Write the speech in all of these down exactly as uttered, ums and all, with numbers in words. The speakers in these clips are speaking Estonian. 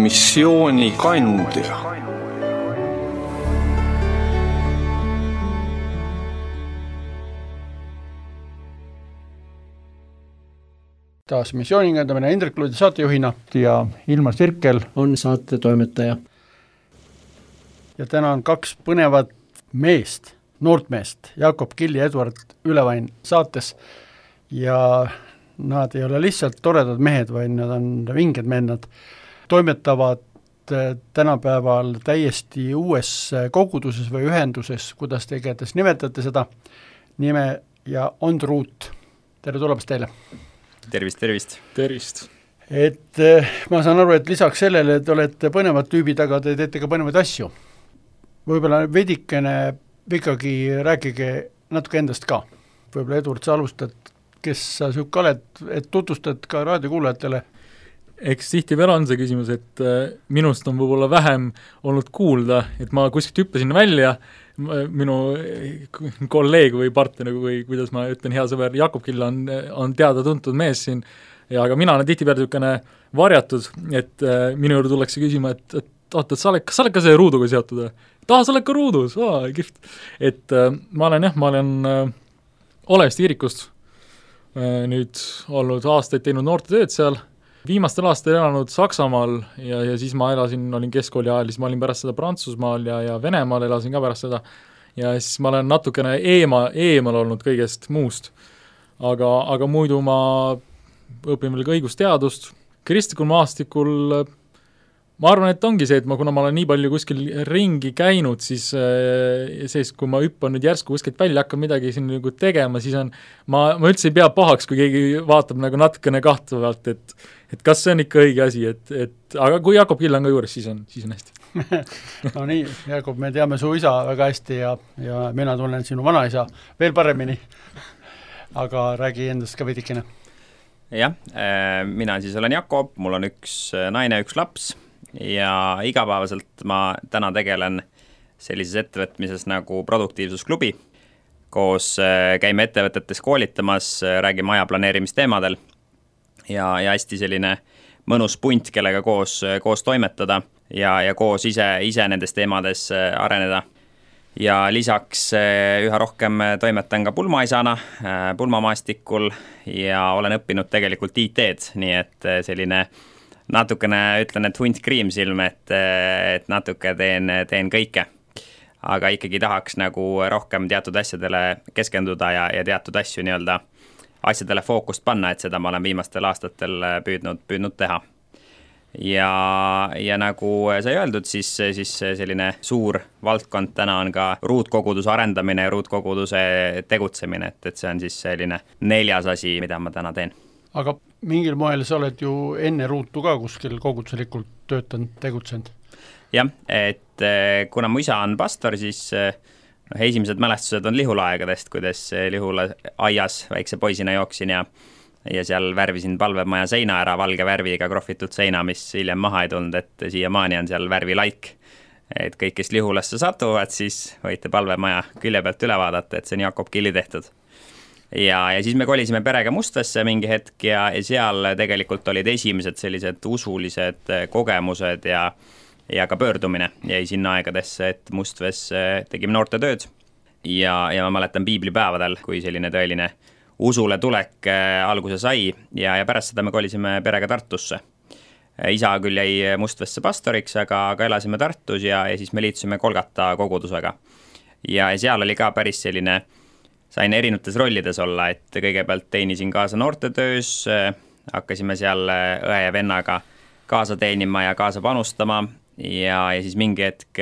missiooni kandja. Taas missioonikandamine Hendrik Luudi saatejuhina ja Ilmar Sirkel on saate toimetaja. Ja täna on kaks põnevat meest, noort meest, Jakob Kill ja Eduard Ülevain saates ja nad ei ole lihtsalt toredad mehed, vaid nad on vinged mehed, nad toimetavad tänapäeval täiesti uues koguduses või ühenduses, kuidas te igatahes nimetate seda nime ja on Root. Tere tulemast teile! Tervist, tervist. Tervist. Et ma saan aru, et lisaks sellele, et olete põnevad tüübid, aga te teete ka põnevaid asju. Võib-olla veidikene ikkagi rääkige natuke endast ka. Võib-olla Eduard, sa alustad, kes sa siuke oled, et tutvustad ka raadiokuulajatele. Eks tihtipeale on see küsimus, et minust on võib-olla vähem olnud kuulda, et ma kuskilt hüppasin välja, minu kolleeg või partner, või kuidas ma ütlen, hea sõber Jakob Kill on, on teada-tuntud mees siin, ja aga mina olen tihtipeale niisugune varjatud, et äh, minu juurde tullakse küsima, et, et oota, et sa oled, kas sa oled ka see ruuduga seotud? Taha, sa oled ka ruudus, aa, kihvt. Et äh, ma olen jah, ma olen äh, Olevist Viirikust äh, nüüd olnud aastaid teinud noorte tööd seal, viimastel aastatel elanud Saksamaal ja, ja siis ma elasin, olin keskkooli ajal, siis ma olin pärast seda Prantsusmaal ja, ja Venemaal elasin ka pärast seda ja siis ma olen natukene eema, eemal olnud kõigest muust. Aga, aga muidu ma õpin veel ka õigusteadust. Kristlikul maastikul ma arvan, et ongi see, et ma, kuna ma olen nii palju kuskil ringi käinud, siis, siis kui ma hüppan nüüd järsku kuskilt välja, hakkan midagi siin nagu tegema, siis on, ma, ma üldse ei pea pahaks, kui keegi vaatab nagu natukene kahtlevalt, et, et kas see on ikka õige asi, et, et aga kui Jakob Kill on ka juures, siis on, siis on hästi. No nii, Jakob, me teame su isa väga hästi ja, ja mina tunnen sinu vanaisa veel paremini, aga räägi endast ka veidikene. Jah, mina siis olen Jakob, mul on üks naine, üks laps ja igapäevaselt ma täna tegelen sellises ettevõtmises nagu produktiivsusklubi. Koos käime ettevõtetes koolitamas, räägime aja planeerimisteemadel ja, ja hästi selline mõnus punt, kellega koos, koos toimetada ja, ja koos ise, ise nendes teemades areneda. Ja lisaks üha rohkem toimetan ka pulmaisana, pulmamaastikul ja olen õppinud tegelikult I T-d, nii et selline natukene ütlen, et hunt kriimsilm, et, et natuke teen, teen kõike. Aga ikkagi tahaks nagu rohkem teatud asjadele keskenduda ja, ja teatud asju nii-öelda asjadele fookust panna, et seda ma olen viimastel aastatel püüdnud, püüdnud teha. Ja, ja nagu sai öeldud, siis, siis selline suur valdkond täna on ka ruutkoguduse arendamine ja ruutkoguduse tegutsemine, et, et see on siis selline neljas asi, mida ma täna teen. Aga mingil moel sa oled ju enne ruutu ka kuskil koguduslikult töötanud, tegutsenud? Jah, et kuna mu isa on pastor, siis no, esimesed mälestused on Lihula-aegadest, kuidas Lihula aias väikse poisina jooksin ja, ja seal värvisin palvemaja seina ära valge värviga krohvitud seina, mis hiljem maha ei tulnud, et siiamaani on seal värvilaik. Et kõik, kes Lihulasse satuvad, siis võite palvemaja külje pealt üle vaadata, et see on Jakob Killi tehtud. Ja, ja siis me kolisime perega Mustvesse mingi hetk ja, ja seal tegelikult olid esimesed sellised usulised kogemused ja, ja ka pöördumine jäi sinna aegadesse, et Mustves tegime noorte tööd ja, ja ma mäletan piiblipäevadel, kui selline tõeline usule tulek alguse sai ja, ja pärast seda me kolisime perega Tartusse. Isa küll jäi Mustvesse pastoriks, aga, aga elasime Tartus ja, ja siis me liitusime Kolgata kogudusega. Ja, ja seal oli ka päris selline sain erinevates rollides olla, et kõigepealt teenisin kaasa noortetöös, hakkasime seal õe ja vennaga kaasa teenima ja kaasa panustama ja, ja siis mingi hetk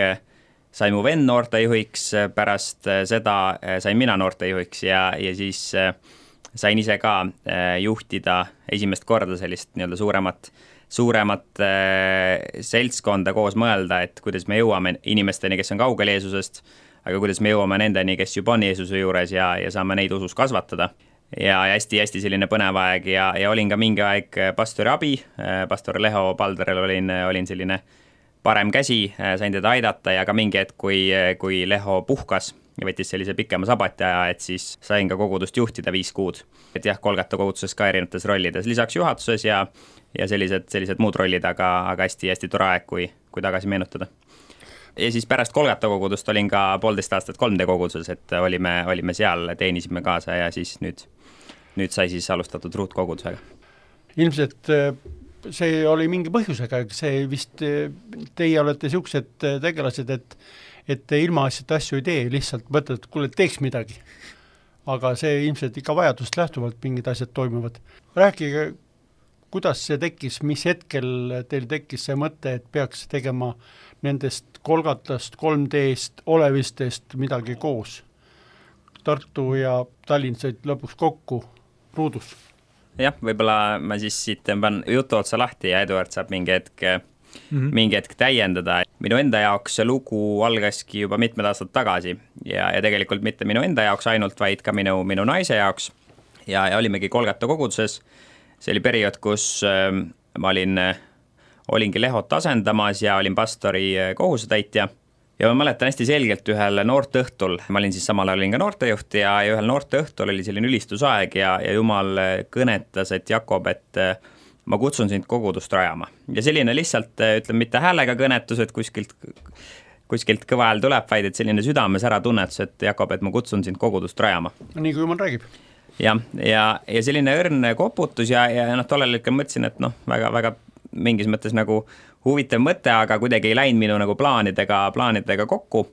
sai mu vend noortejuhiks, pärast seda sain mina noortejuhiks ja, ja siis sain ise ka juhtida esimest korda sellist nii-öelda suuremat, suuremat seltskonda koos mõelda, et kuidas me jõuame inimesteni, kes on kaugel Jeesusest, aga kuidas me jõuame nendeni, kes juba on Jeesuse juures ja, ja saame neid usus kasvatada. Ja hästi-hästi selline põnev aeg ja, ja olin ka mingi aeg pastori abi, pastor Leho Palderel olin, olin selline parem käsi, sain teda aidata ja ka mingi hetk, kui, kui Leho puhkas ja võttis sellise pikema sabati aja, et siis sain ka kogudust juhtida viis kuud. Et jah, Kolgata koguduses ka erinevates rollides, lisaks juhatuses ja, ja sellised, sellised muud rollid, aga, aga hästi, hästi tore aeg, kui, kui tagasi meenutada. Ja siis pärast Kolgata kogudust olin ka poolteist aastat kolm D koguduses, et olime, olime seal, teenisime kaasa ja siis nüüd, nüüd sai siis alustatud ruutkogudusega. Ilmselt see oli mingi põhjusega, see vist teie olete siuksed tegelased, et, et te ilma asjad asju ei tee, lihtsalt mõtled, et kuule, teeks midagi. Aga see ilmselt ikka vajadust lähtuvalt mingid asjad toimuvad. Rääkige, kuidas see tekkis, mis hetkel teil tekkis see mõte, et peaks tegema nendest Kolgatast, kolm D-st, olevistest midagi koos. Tartu ja Tallinn said lõpuks kokku ruudus. Jah, võib-olla ma siis siit tõmban jutu otsa lahti ja Eduard saab mingi hetk, mm-hmm. mingi hetk täiendada. Minu enda jaoks see lugu algaski juba mitmed aastad tagasi ja, ja tegelikult mitte minu enda jaoks ainult, vaid ka minu, minu naise jaoks. Ja, ja olimegi Kolgata koguduses. See oli periood, kus äh, ma olin, olingi Lehot asendamas ja olin pastori kohusetäitja. Ja ma mäletan hästi selgelt ühel noorteõhtul, ma olin siis samal ajal olin ka noortejuht ja, ja ühel noorteõhtul oli selline ülistusaeg ja, ja Jumal kõnetas, et Jakob, et ma kutsun sind kogudust rajama. Ja selline lihtsalt, ütleme, mitte häälega kõnetus, et kuskilt, kuskilt kõva hääl tuleb, vaid et selline südames ära tunnetus, et Jakob, et ma kutsun sind kogudust rajama. Nii kui Jumal räägib. Ja, ja, ja selline õrn koputus ja, ja noh, tollel ikka mõtlesin, et noh, väga, väga mingis mõttes nagu huvitav mõte, aga kuidagi ei läinud minu nagu plaanidega, plaanidega kokku.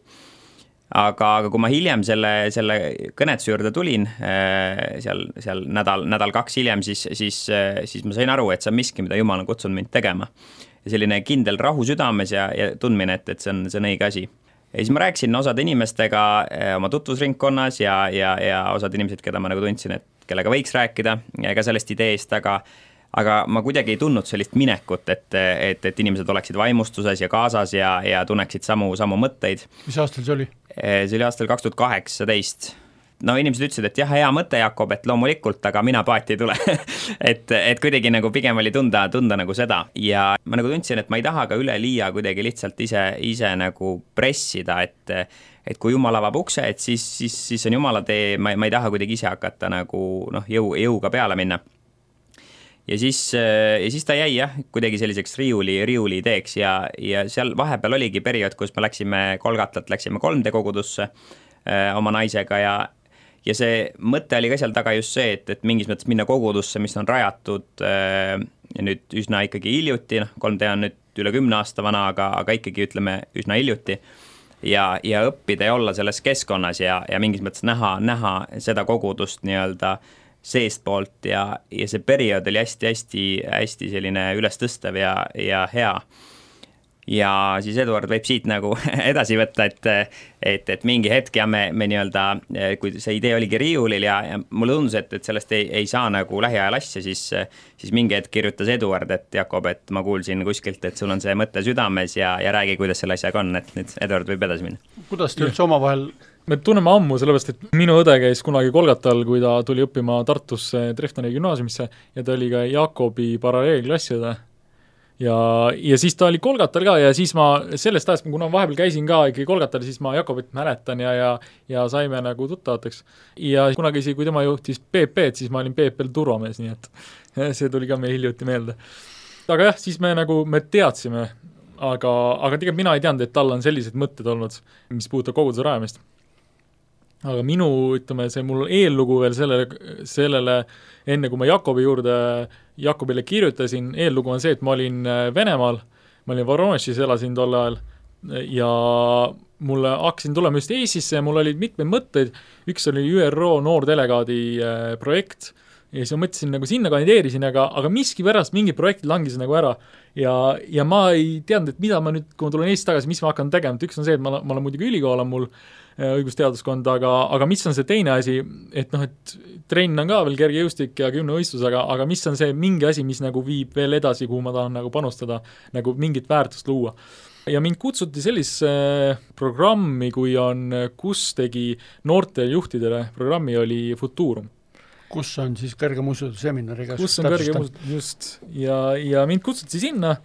Aga, aga kui ma hiljem selle, selle kõnetuse juurde tulin, seal, seal nädal, nädal kaks hiljem, siis, siis, siis ma sain aru, et see on miski, mida Jumal on kutsunud mind tegema. Ja selline kindel rahu südames ja, ja tundmine, et, et see on, see on õige asi. Ja siis ma rääkisin osad inimestega oma tutvusringkonnas ja, ja, ja osad inimesed, keda ma nagu tundsin, et kellega võiks rääkida ka sellest ideest, aga aga ma kuidagi ei tundnud sellist minekut, et, et, et inimesed oleksid vaimustuses ja kaasas ja, ja tunneksid samu, samu mõtteid. Mis aastal see oli? See oli aastal kaks tuhat kaheksateist. No inimesed ütlesid, et jah, hea mõte, Jakob, et loomulikult, aga mina paati ei tule. et, et kuidagi nagu pigem oli tunda, tunda nagu seda. Ja ma nagu tundsin, et ma ei taha ka üle liia kuidagi lihtsalt ise, ise nagu pressida, et, et kui Jumal avab ukse, et siis, siis, siis on Jumala tee, ma, ma ei taha kuidagi ise hakata nagu noh, jõu, jõuga peale minna. Ja siis, ja siis ta jäi jah, kuidagi selliseks riiuli, riiuli ideeks ja, ja seal vahepeal oligi periood, kus me läksime Kolgatat, läksime kolm D kogudusse äh, oma naisega ja, ja see mõte oli ka seal taga just see, et, et mingis mõttes minna kogudusse, mis on rajatud äh, nüüd üsna ikkagi hiljuti, noh, kolm D on nüüd üle kümne aasta vana, aga, aga ikkagi ütleme üsna hiljuti ja, ja õppida ja olla selles keskkonnas ja, ja mingis mõttes näha, näha seda kogudust nii-öelda seest poolt ja, ja see periood oli hästi, hästi, hästi selline ülestõstev ja, ja hea. Ja siis Eduard võib siit nagu edasi võtta, et, et, et mingi hetk ja me, me nii-öelda, kui see idee oligi riiulil ja, ja mulle tundus, et, et sellest ei, ei saa nagu lähiajal asja, siis, siis mingi hetk kirjutas Eduard, et Jakob, et ma kuulsin kuskilt, et sul on see mõte südames ja, ja räägi, kuidas selle asjaga on, et nüüd Eduard võib edasi minna. Kuidas te üldse omavahel me tunneme ammu, sellepärast, et minu õde käis kunagi Kolgatal, kui ta tuli õppima Tartusse Treftoni gümnaasiumisse ja ta oli ka Jakobi paralleelklasside. Ja, ja siis ta oli Kolgatal ka ja siis ma sellest ajast, kuna vahepeal käisin ka ikkagi Kolgatal, siis ma Jakobit mäletan ja, ja, ja saime nagu tuttavateks. Ja kunagi, kui tema juhtis P P-d, siis ma olin P P-l turvamees, nii et see tuli ka meil hiljuti meelde. Aga jah, siis me nagu, me teadsime, aga, aga tegelikult mina ei teadnud, et tal on sellised mõtted olnud, mis puudutab koguduse rajamist. Aga minu, ütleme, see mul eellugu veel sellele, sellele, enne kui ma Jakobi juurde, Jakobile kirjutasin, eellugu on see, et ma olin Venemaal, ma olin Voronezhis, elasin tol ajal ja mulle hakkasin tulema just Eestisse ja mul olid mitmeid mõtteid, üks oli Ü R O noordelegaadi projekt ja siis ma mõtlesin, nagu sinna kandideerisin, aga, aga miski pärast mingi projektid langisid nagu ära ja, ja ma ei teadnud, et mida ma nüüd, kui ma tulen Eestis tagasi, mis ma hakkan tegema, et üks on see, et ma, ma olen muidugi ülikool on mul õigusteaduskond, aga, aga mis on see teine asi, et noh, et trenn on ka veel kergejõustik ja kümnevõistlus, aga, aga mis on see mingi asi, mis nagu viib veel edasi, kuhu ma tahan nagu panustada, nagu mingit väärtust luua. Ja mind kutsuti sellise programmi, kui on, kus tegi noorte juhtidele programmi, oli Futurum. Kus on siis kõrgemuusutud seminariga? Kus on kõrgemuusutud, just. Ja, ja mind kutsuti sinna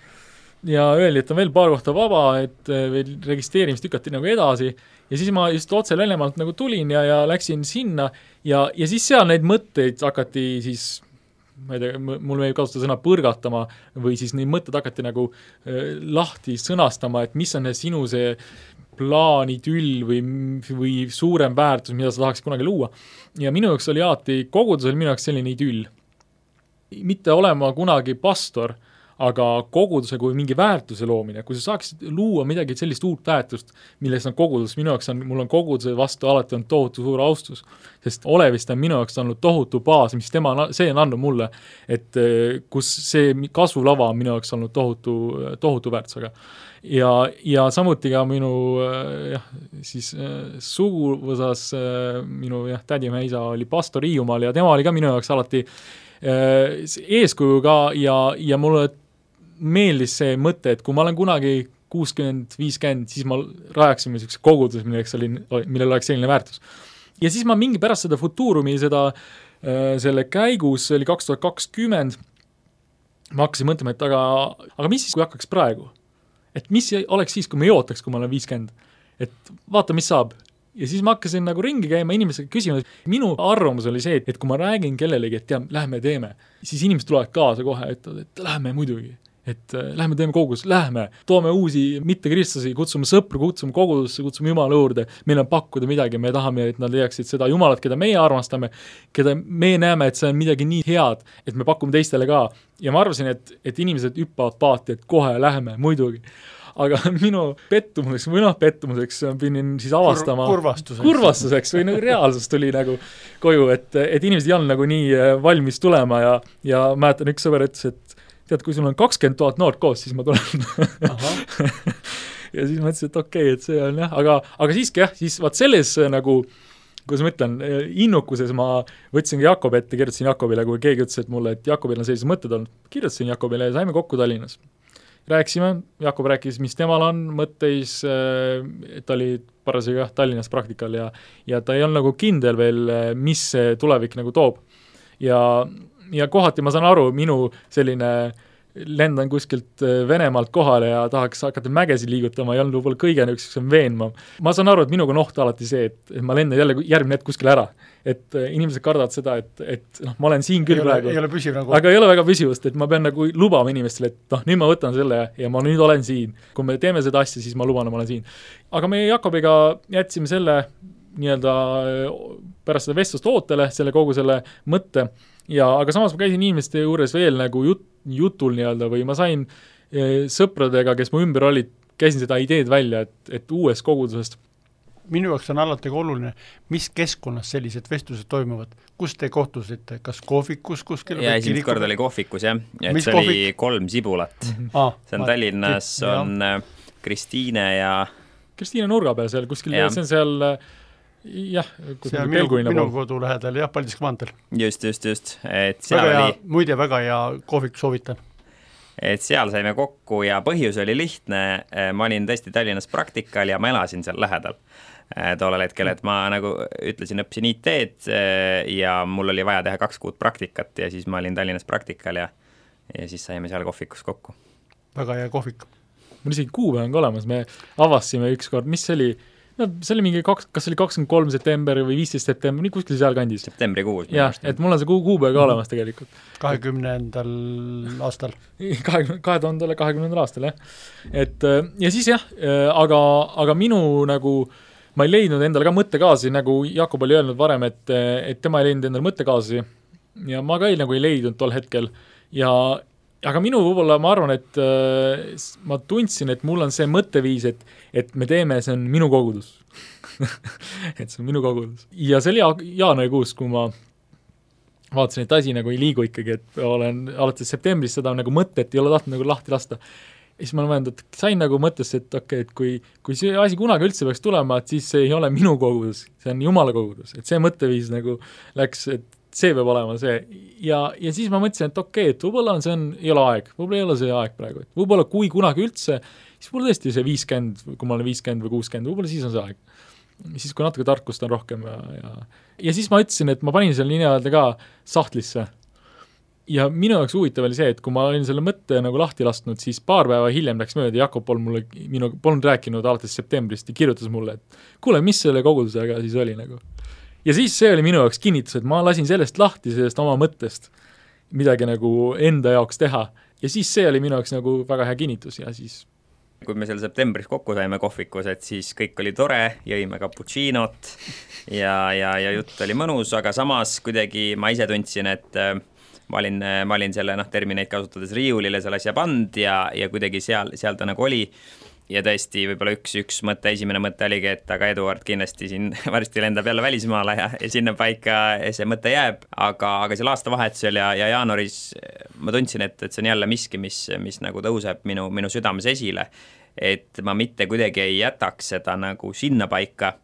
ja öeldi, et on veel paar kohta vaba, et veel registreerimist tükati nagu edasi ja siis ma just otse Läänemaalt nagu tulin ja, ja läksin sinna ja, ja siis seal neid mõtteid hakati siis, ma ei tea, mul meeldib kasutada sõna põrgatama või siis neid mõtted hakati nagu äh, lahti sõnastama, et mis on sinu see plaanitüll või, või suurem väärtus, mida sa tahaks kunagi luua. Ja minu jaoks oli alati, kogudus oli minu jaoks selline idüll. Mitte olema kunagi pastor, aga koguduse kui mingi väärtuse loomine, kui sa saaksid luua midagi sellist uut väärtust, milles on kogudus, minu jaoks on, mul on koguduse vastu alati on tohutu suur austus, sest olevist on minu jaoks olnud tohutu baas, mis tema, see on andnud mulle, et kus see kasvulava on minu jaoks olnud tohutu, tohutu väärtusega. Ja, ja samuti ka minu jah, siis suguvõsas minu jah, tädimehe isa oli pastor Hiiumaal ja tema oli ka minu jaoks alati eeskujuga ja, ja mulle meeldis see mõte, et kui ma olen kunagi kuuskümmend viiskümmend, siis ma rajaksime selline kogudus, milleks oli, millel oleks selline väärtus. Ja siis ma mingi pärast seda Futurumi, seda, selle käigus, see oli kaks tuhat kakskümmend, ma hakkasin mõtlema, et aga, aga mis siis, kui hakkaks praegu? Et mis oleks siis, kui ma ei ootaks, kui ma olen viiskümmend? Et vaata, mis saab. Ja siis ma hakkasin nagu ringi käima inimesega küsima, minu arvamus oli see, et kui ma räägin kellelegi, et tea, lähme teeme, siis inimesed tulevad kaasa kohe, et, et lähme muidugi, et äh, lähme teeme kogudus, lähme, toome uusi mitte kristlasi, kutsume sõpru, kutsume kogudusse, kutsume Jumala juurde, meil on pakkuda midagi, me tahame, et nad leiaksid seda Jumalat, keda meie armastame, keda me näeme, et see on midagi nii head, et me pakume teistele ka. Ja ma arvasin, et, et inimesed hüppavad paati, et kohe lähme, muidugi. Aga minu pettumuseks, või noh pettumuseks pidin siis avastama Kur, kurvastuseks. kurvastuseks või nagu reaalsus tuli nagu koju, et, et inimesed ei olnud nagu nii valmis tulema ja, ja mäletan üks sõber ütles, et tead, kui sul on kakskümmend tuhat noort koos, siis ma tulen. Ja siis ma ütlesin, et okei, okay, et see on jah, aga, aga siiski jah, siis vaat selles nagu, kuidas ma ütlen, innukuses ma võtsingi Jakob ette, kirjutasin Jakobile, kui keegi ütles, et mulle, et Jakobil on sellised mõtted olnud, kirjutasin Jakobile ja saime kokku Tallinnas. Rääksime, Jakob rääkis, mis temal on mõtteis, et ta oli parasjagu Tallinnas praktikal ja, ja ta ei olnud nagu kindel veel, mis see tulevik nagu toob. Ja, ja kohati ma saan aru, minu selline lendan kuskilt Venemaalt kohale ja tahaks hakata mägesi liigutama ja on võib-olla kõige üks veenma. Ma saan aru, et minuga on oht alati see, et, et ma lendan jälle järgmine hetk kuskil ära. Et inimesed kardavad seda, et, et noh, ma olen siin küll ei praegu. Ole, ei ole püsiv nagu. Aga ei ole väga püsivust, et ma pean nagu lubama inimestele, et noh, nüüd ma võtan selle ja ma nüüd olen siin. Kui me teeme seda asja, siis ma luban, ma olen siin. Aga me Jakobiga jätsime selle nii-öelda pärast seda vestlust ootele, selle kogu selle mõtte. Ja, aga samas ma käisin inimeste juures veel nagu jut, jutul nii-öelda või ma sain e, sõpradega, kes mu ümber olid, käisin seda ideed välja, et, et uuest kogudusest. Minu jaoks on alati oluline, mis keskkonnas sellised vestlused toimuvad, kus te kohtusite, kas kohvikus kuskil? Ja esimest kord oli kohvikus, jah, et mis see kohvik? oli kolm sibulat. Mm-hmm. Ah, see on ma, Tallinnas, ja. on Kristiine ja Kristiine nurga peal seal kuskil, see on seal jah, see on minu, minu kodu lähedal, jah, Paldiski maanteel. Just, just, just. Et seal väga oli... hea, muide väga hea kohvik soovitan. Et seal saime kokku ja põhjus oli lihtne, ma olin tõesti Tallinnas praktikal ja ma elasin seal lähedal tollel hetkel, et ma nagu ütlesin, õppisin I T-d ja mul oli vaja teha kaks kuud praktikat ja siis ma olin Tallinnas praktikal ja, ja siis saime seal kohvikus kokku. Väga hea kohvik. Mul isegi kuupäev on ka olemas, me avastasime üks kord, mis see oli, no see oli mingi, kaks, kas oli kakskümmend kolm september või viisteist september, nii kuskil seal kandis. Septembri kuus. Jah, et mul on see kuu, kuupäev ka olemas tegelikult. kahekümnendal aastal. kahe tuhande kahekümnendal aastal, jah. Et ja siis jah, aga, aga minu nagu, ma ei leidnud endale ka mõttekaasi, nagu Jakob oli öelnud varem, et, et tema ei leidnud endale mõttekaasi ja ma ka ei, nagu ei leidnud tol hetkel ja aga minu võib-olla ma arvan, et äh, ma tundsin, et mul on see mõtteviis, et, et me teeme, see on minu kogudus. et see on minu kogudus. Ja see oli jaanuarikuus, kui ma vaatasin, et asi nagu ei liigu ikkagi, et olen alates septembrist seda nagu mõtet ei ole tahtnud nagu lahti lasta. Ja siis ma olen mõelnud, et sain nagu mõttesse, et okei, okay, et kui, kui see asi kunagi üldse peaks tulema, et siis see ei ole minu kogudus, see on Jumala kogudus. Et see mõtteviis nagu läks, et see peab olema see. Ja, ja siis ma mõtlesin, et okei, okay, et võib-olla on see on, ei ole aeg, võib-olla ei ole see aeg praegu. Et võib-olla kui kunagi üldse, siis võib-olla tõesti see viiskümmend, kui ma olen viiskümmend või kuuskümmend, võib-olla siis on see aeg. Siis kui natuke tarkust on rohkem ja, ja, ja siis ma ütlesin, et ma panin seal nii-öelda ka sahtlisse. ja minu jaoks huvitav oli see, et kui ma olin selle mõtte nagu lahti lasknud, siis paar päeva hiljem läks mööda, Jakob polnud mulle, minu, polnud rääkinud alates septembrist ja kirjutas mulle, et kuule, mis selle kogudusega siis oli nagu. Ja siis see oli minu jaoks kinnitus, et ma lasin sellest lahti, sellest oma mõttest midagi nagu enda jaoks teha ja siis see oli minu jaoks nagu väga hea kinnitus ja siis kui me seal septembris kokku saime kohvikus, et siis kõik oli tore, jõime cappuccinot ja, ja, ja jutt oli mõnus, aga samas kuidagi ma ise tundsin, et ma olin, ma olin selle noh, termineid kasutades riiulile selle asja pand ja, ja kuidagi seal, seal ta nagu oli ja tõesti võib-olla üks, üks mõte, esimene mõte oligi, et aga Eduard kindlasti siin varsti lendab jälle välismaale ja, ja sinna paika see mõte jääb, aga, aga seal aastavahetusel ja, ja jaanuaris ma tundsin, et, et see on jälle miski, mis, mis nagu tõuseb minu, minu südames esile, et ma mitte kuidagi ei jätaks seda nagu sinna paika,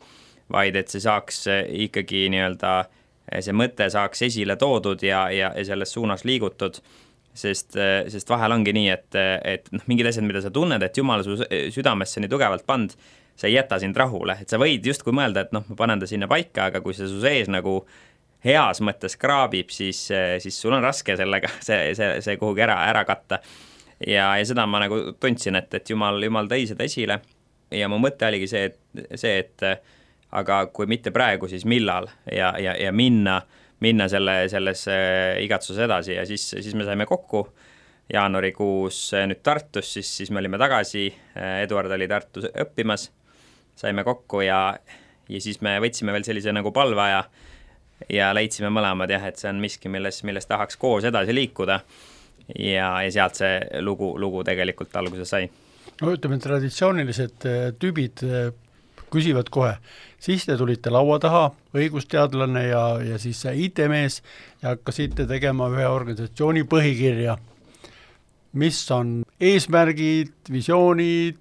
vaid et see saaks ikkagi nii-öelda see mõte saaks esile toodud ja, ja, ja selles suunas liigutud, sest, sest vahel ongi nii, et, et noh, mingid asjad, mida sa tunned, et Jumal su südamesse nii tugevalt pand, sa ei jäta sind rahule, et sa võid justkui mõelda, et noh, ma panen ta sinna paika, aga kui see su sees nagu heas mõttes kraabib, siis, siis sul on raske sellega see, see, see kuhugi ära, ära katta. Ja, ja seda ma nagu tundsin, et, et Jumal, Jumal tõi seda esile ja mu mõte oligi see, et, see, et aga kui mitte praegu, siis millal ja, ja, ja minna, minna selle, selles igatsuses edasi ja siis, siis me saime kokku jaanuarikuus nüüd Tartus, siis, siis me olime tagasi, Eduard oli Tartus õppimas, saime kokku ja, ja siis me võtsime veel sellise nagu palveaja ja leidsime mõlemad jah, et see on miski, milles, milles tahaks koos edasi liikuda ja, ja sealt see lugu, lugu tegelikult alguse sai. No ütleme, traditsioonilised tüübid küsivad kohe, siis te tulite laua taha, õigusteadlane ja, ja siis I T-mees ja hakkasite tegema ühe organisatsiooni põhikirja. Mis on eesmärgid, visioonid,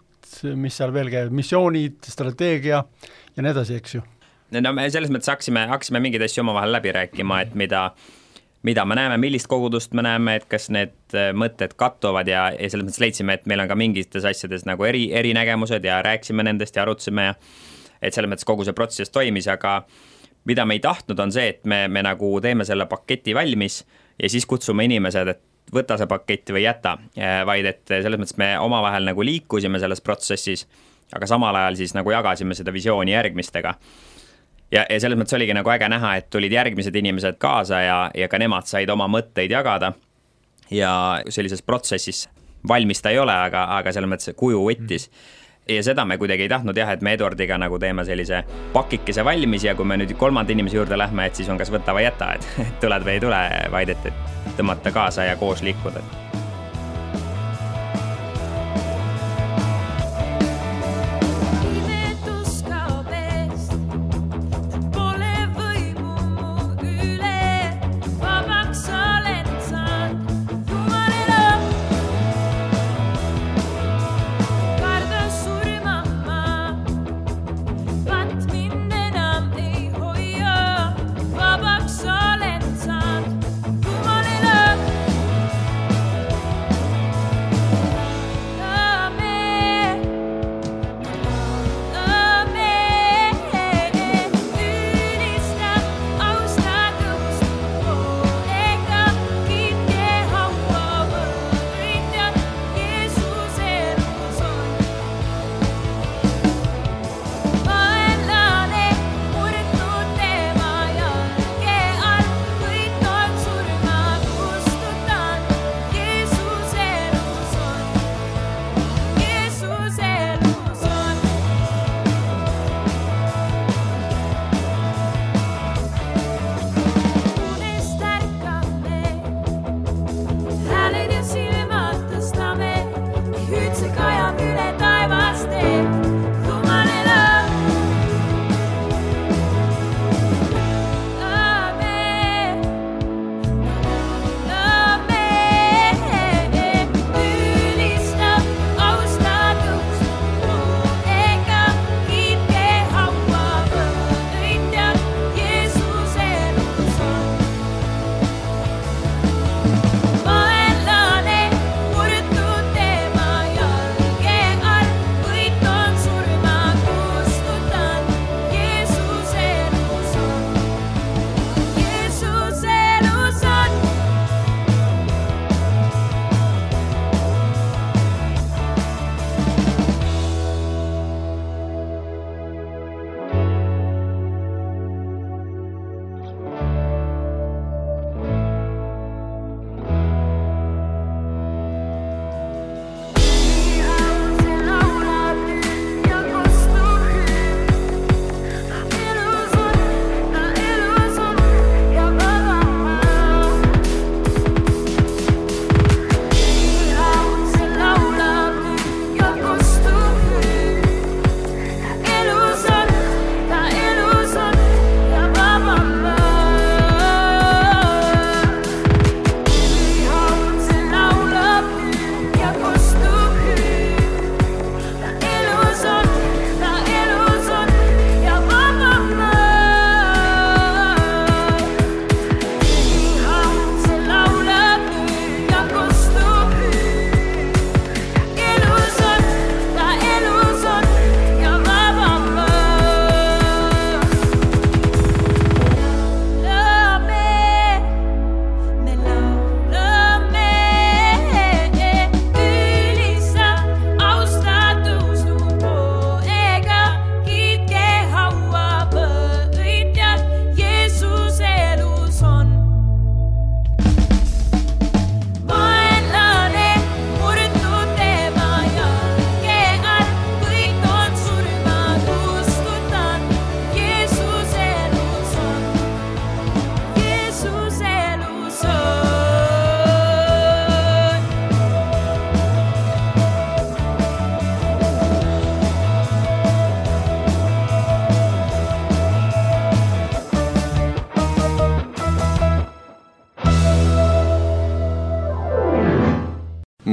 mis seal veel käib, missioonid, strateegia ja nii edasi, eks ju? No me selles mõttes haksime, haksime mingeid asju omavahel läbi rääkima, et mida, mida me näeme, millist kogudust me näeme, et kas need mõtted kattuvad ja, ja selles mõttes leidsime, et meil on ka mingites asjades nagu eri, eri nägemused ja rääksime nendest ja arutsime ja et selles mõttes kogu see protsess toimis, aga mida me ei tahtnud on see, et me, me nagu teeme selle paketi valmis ja siis kutsume inimesed, et võta see pakett või jäta, vaid et selles mõttes me omavahel nagu liikusime selles protsessis, aga samal ajal siis nagu jagasime seda visiooni järgmistega. Ja, ja selles mõttes oligi nagu äge näha, et tulid järgmised inimesed kaasa ja, ja ka nemad said oma mõtteid jagada ja sellises protsessis valmis ta ei ole, aga, aga selles mõttes kuju võttis. Ja seda me kuidagi ei tahtnud jah, et me Eduardiga nagu teeme sellise pakikese valmis ja kui me nüüd kolmanda inimese juurde lähme, et siis on kas võta või jäta, et tuled või ei tule, vaid et, et tõmmata kaasa ja koos liikuda.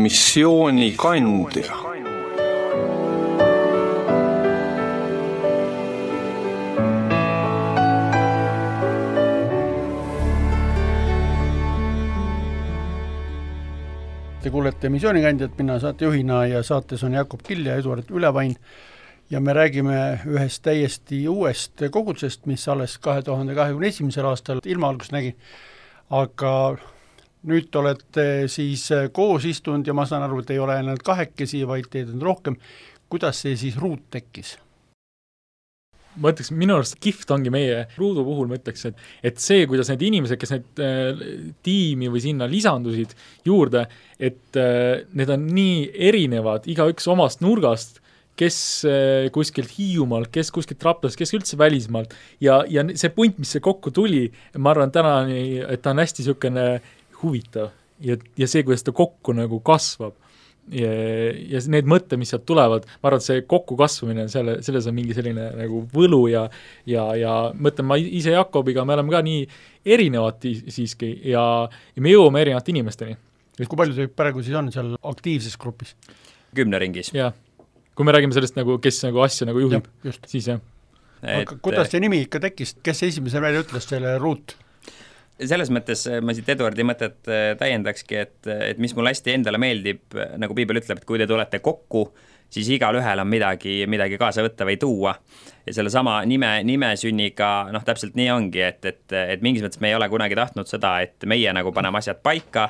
missioonikandja. Te kuulete missioonikandjat, mina saatejuhina ja saates on Jakob Kill ja Eduard Ülevain ja me räägime ühest täiesti uuest kogudusest, mis alles kahe tuhande kahekümne esimesel aastal ilmaalgust nägi, aga nüüd olete siis koos istunud ja ma saan aru, et ei ole ainult kahekesi, vaid teid on rohkem. Kuidas see siis ruut tekkis? Ma ütleks, minu arust kihvt ongi meie ruudu puhul, ma ütleks, et, et see, kuidas need inimesed, kes need äh, tiimi või sinna lisandusid juurde, et äh, need on nii erinevad, igaüks omast nurgast, kes äh, kuskilt Hiiumaalt, kes kuskilt Raplast, kes üldse välismaalt ja, ja see punt, mis see kokku tuli, ma arvan tänani, et ta on hästi niisugune huvitav ja, ja see, kuidas ta kokku nagu kasvab. Ja, ja need mõtte, mis sealt tulevad, ma arvan, et see kokku kasvamine, selle, selles on mingi selline nagu võlu ja, ja, ja mõtlen, ma ise Jakobiga, me oleme ka nii erinevad siiski ja, ja me jõuame erinevate inimesteni. Kui palju see praegu siis on seal aktiivses grupis? Kümne ringis. Jah, kui me räägime sellest, nagu, kes nagu asja nagu juhib, ja, siis jah. Et, kuidas see nimi ikka tekkis, kes esimese välja ütles selle ruut? Selles mõttes ma siit Eduardi mõtet täiendakski, et, et mis mulle hästi endale meeldib, nagu Piibel ütleb, et kui te tulete kokku, siis igal ühel on midagi, midagi kaasa võtta või tuua. Ja selle sama nime, nime sünniga, noh täpselt nii ongi, et, et, et mingis mõttes me ei ole kunagi tahtnud seda, et meie nagu paneme asjad paika,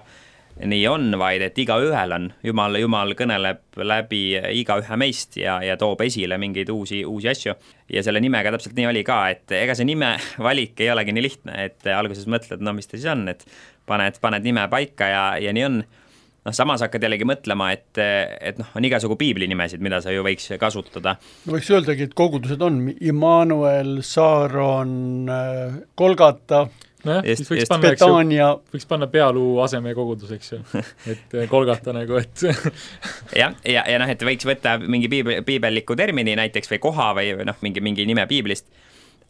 nii on, vaid et iga ühel on, Jumal, Jumal kõneleb läbi iga ühe meist ja, ja toob esile mingeid uusi, uusi asju. Ja selle nimega täpselt nii oli ka, et ega see nime valik ei olegi nii lihtne, et alguses mõtled, no mis ta siis on, et paned, paned nime paika ja, ja nii on. No samas hakkad jällegi mõtlema, et, et noh, on igasugu piibli nimesid, mida sa ju võiks kasutada. No võiks öeldagi, et kogudused on Immanuel, Saaron, Kolgata, no jah, just, siis võiks just, panna, Betania. Võiks panna pealuu aseme kogudus, eks ju, et Kolgata nagu, et ja, ja, ja noh, et võiks võtta mingi piibel, piibelliku termini näiteks või koha või noh, mingi, mingi nime piiblist,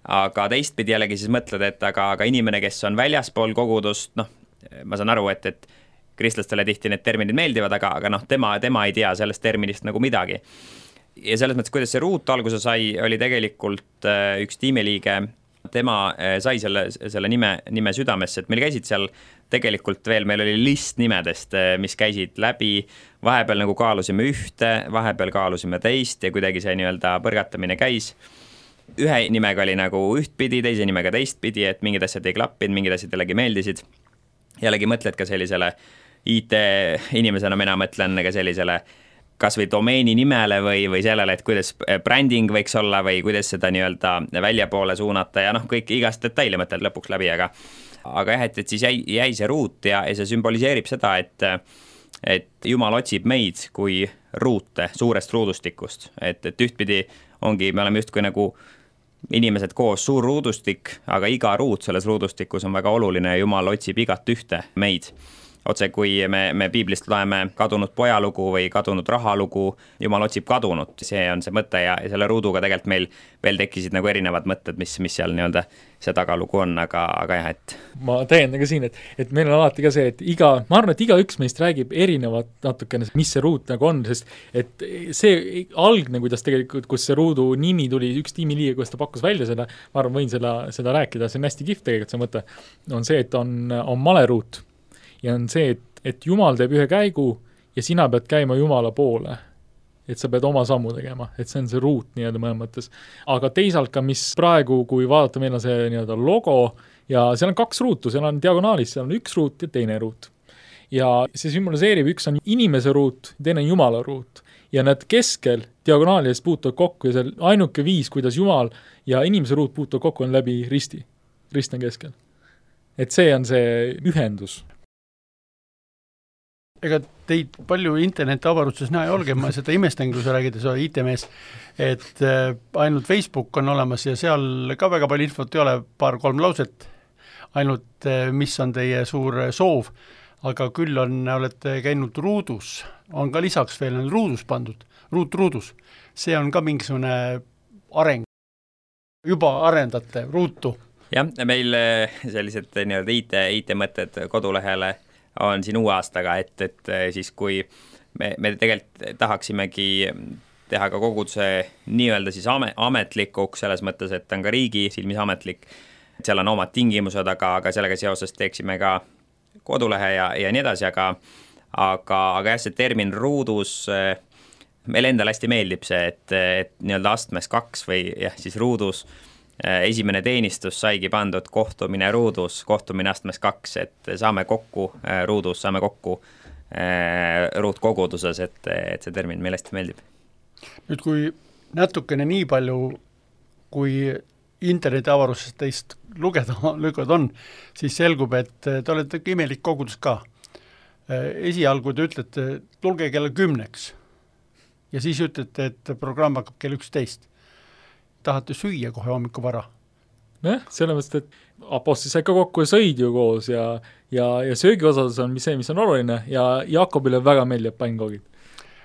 aga teistpidi jällegi siis mõtled, et aga, aga inimene, kes on väljaspool kogudust, noh, ma saan aru, et, et kristlastele tihti need terminid meeldivad, aga, aga noh, tema, tema ei tea sellest terminist nagu midagi. Ja selles mõttes, kuidas see ruut alguse sai, oli tegelikult üks tiimiliige, tema sai selle, selle nime, nime südamesse, et meil käisid seal tegelikult veel, meil oli list nimedest, mis käisid läbi, vahepeal nagu kaalusime ühte, vahepeal kaalusime teist ja kuidagi see nii-öelda põrgatamine käis. Ühe nimega oli nagu ühtpidi, teise nimega teistpidi, et mingid asjad ei klappinud, mingid asjad jällegi meeldisid. Jällegi mõtled ka sellisele I T inimesena, mina mõtlen ka sellisele kas või domeeni nimele või, või sellele, et kuidas branding võiks olla või kuidas seda nii-öelda väljapoole suunata ja noh, kõik igast detaili mõtled lõpuks läbi, aga aga jah, et, et siis jäi, jäi see ruut ja, ja see sümboliseerib seda, et et Jumal otsib meid kui ruute suurest ruudustikust, et, et ühtpidi ongi, me oleme justkui nagu inimesed koos suur ruudustik, aga iga ruut selles ruudustikus on väga oluline ja Jumal otsib igat ühte meid. Otse kui me, me piiblist loeme kadunud pojalugu või kadunud rahalugu, Jumal otsib kadunut, see on see mõte ja, ja selle ruuduga tegelikult meil veel tekkisid nagu erinevad mõtted, mis, mis seal nii-öelda see tagalugu on, aga, aga jah, et ma täiendan ka siin, et, et meil on alati ka see, et iga, ma arvan, et iga üks meist räägib erinevat natukene, mis see ruut nagu on, sest et see algne, kuidas tegelikult, kus see ruudu nimi tuli, üks tiimiliige, kuidas ta pakkus välja seda, ma arvan, võin seda, seda rääkida, see on hästi kihvt tegelikult see mõte, on see, et on, on maleruut. Ja on see, et, et Jumal teeb ühe käigu ja sina pead käima Jumala poole. Et sa pead oma sammu tegema, et see on see ruut nii-öelda mõne mõttes. Aga teisalt ka, mis praegu, kui vaadata, meil on see nii-öelda logo ja seal on kaks ruutu, seal on diagonaalis, seal on üks ruut ja teine ruut. Ja see symboliseerib, üks on inimese ruut, teine on Jumala ruut. Ja need keskel diagonaalides puutuvad kokku ja see ainuke viis, kuidas Jumal ja inimese ruut puutuvad kokku on läbi risti. Rist on keskel. Et see on see ühendus. Ega teid palju interneti avaruses näe olge, ma seda imestan, kui sa räägid, sa I T-mees, et ainult Facebook on olemas ja seal ka väga palju infot ei ole, paar-kolm lauset, ainult mis on teie suur soov, aga küll on, olete käinud ruudus, on ka lisaks veel ruudus pandud, ruut ruudus, see on ka mingisugune areng, juba arendate ruutu. Jah, meil sellised nii-öelda I T, I T mõtted kodulehele on siin uue aastaga, et, et siis kui me, me tegelikult tahaksimegi teha ka koguduse nii-öelda siis ametlikuks, selles mõttes, et on ka riigi silmis ametlik, seal on omad tingimused, aga, aga sellega seoses teeksime ka kodulehe ja, ja nii edasi, aga, aga, aga jah, see termin ruudus, meil endal hästi meeldib see, et, et nii-öelda astmes kaks või jah, siis ruudus, esimene teenistus saigi pandud kohtumine ruudus, kohtumine astmes kaks, et saame kokku ruudus, saame kokku ruudkoguduses, et, et see termin meil hästi meeldib. Nüüd kui natukene nii palju, kui internetiavarusest teist lugeda, lugeda on, siis selgub, et te olete imelik kogudus ka. Esialgu te ütlete, tulge kella kümneks ja siis ütlete, et programm hakkab kell üksteist. Tahate süüa kohe hommiku vara? Jah, selles mõttes, et apostlis sai ka kokku ja sõid ju koos ja, ja, ja söögi osas on see, mis on oluline ja Jakobile väga meeldib pannkoogid.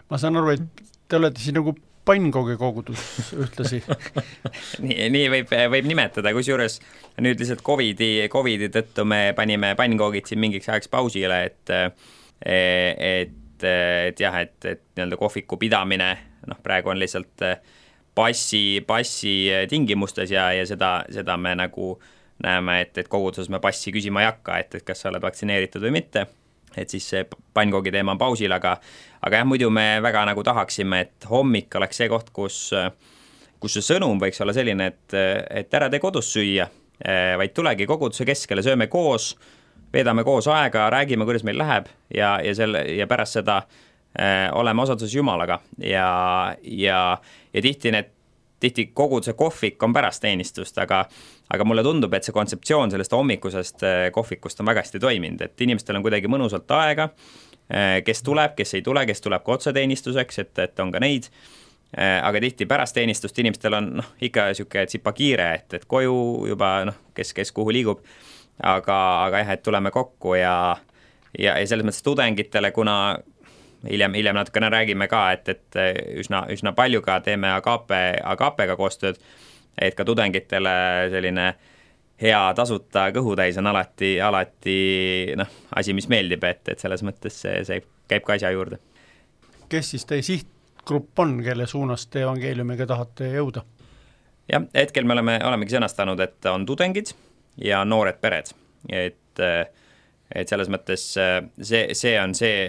Ma saan aru, et te olete siin nagu pannkoogi kogudus ühtlasi. nii, nii võib, võib nimetada, kus juures nüüd lihtsalt COVID-i, COVID-i tõttu me panime pannkoogid siin mingiks ajaks pausile, et, et, et jah, et, et nii-öelda kohviku pidamine, noh, praegu on lihtsalt passi, passi tingimustes ja, ja seda, seda me nagu näeme, et, et koguduses me passi küsima ei hakka, et, et kas sa oled vaktsineeritud või mitte, et siis see pannkoogi teema on pausil, aga, aga jah, muidu me väga nagu tahaksime, et hommik oleks see koht, kus, kus see sõnum võiks olla selline, et, et ära tee kodus süüa, vaid tulegi koguduse keskele, sööme koos, veedame koos aega, räägime, kuidas meil läheb ja, ja, selle, ja pärast seda äh, oleme osaduses Jumalaga ja, ja, ja tihti need tihti koguduse kohvik on pärast teenistust, aga, aga mulle tundub, et see kontseptsioon sellest hommikusest kohvikust on väga hästi toiminud, et inimestel on kuidagi mõnusalt aega, kes tuleb, kes ei tule, kes tuleb ka otseteenistuseks, et, et on ka neid, aga tihti pärast teenistust inimestel on noh, ikka siuke tsipa kiire, et, et koju juba, noh, kes, kes kuhu liigub, aga, aga jah, et tuleme kokku ja, ja, ja selles mõttes tudengitele, kuna hiljem, hiljem natukene räägime ka, et, et üsna, üsna palju ka teeme Agape, Agapega koostööd, et ka tudengitele selline hea tasuta kõhutäis on alati, alati noh, asi, mis meeldib, et, et selles mõttes see, see käib ka asja juurde. Kes siis teie sihtgrupp on, kelle suunas te evangeeliumiga tahate jõuda? Jah, hetkel me oleme, olemegi sõnastanud, et on tudengid ja noored pered, et et selles mõttes see, see on see,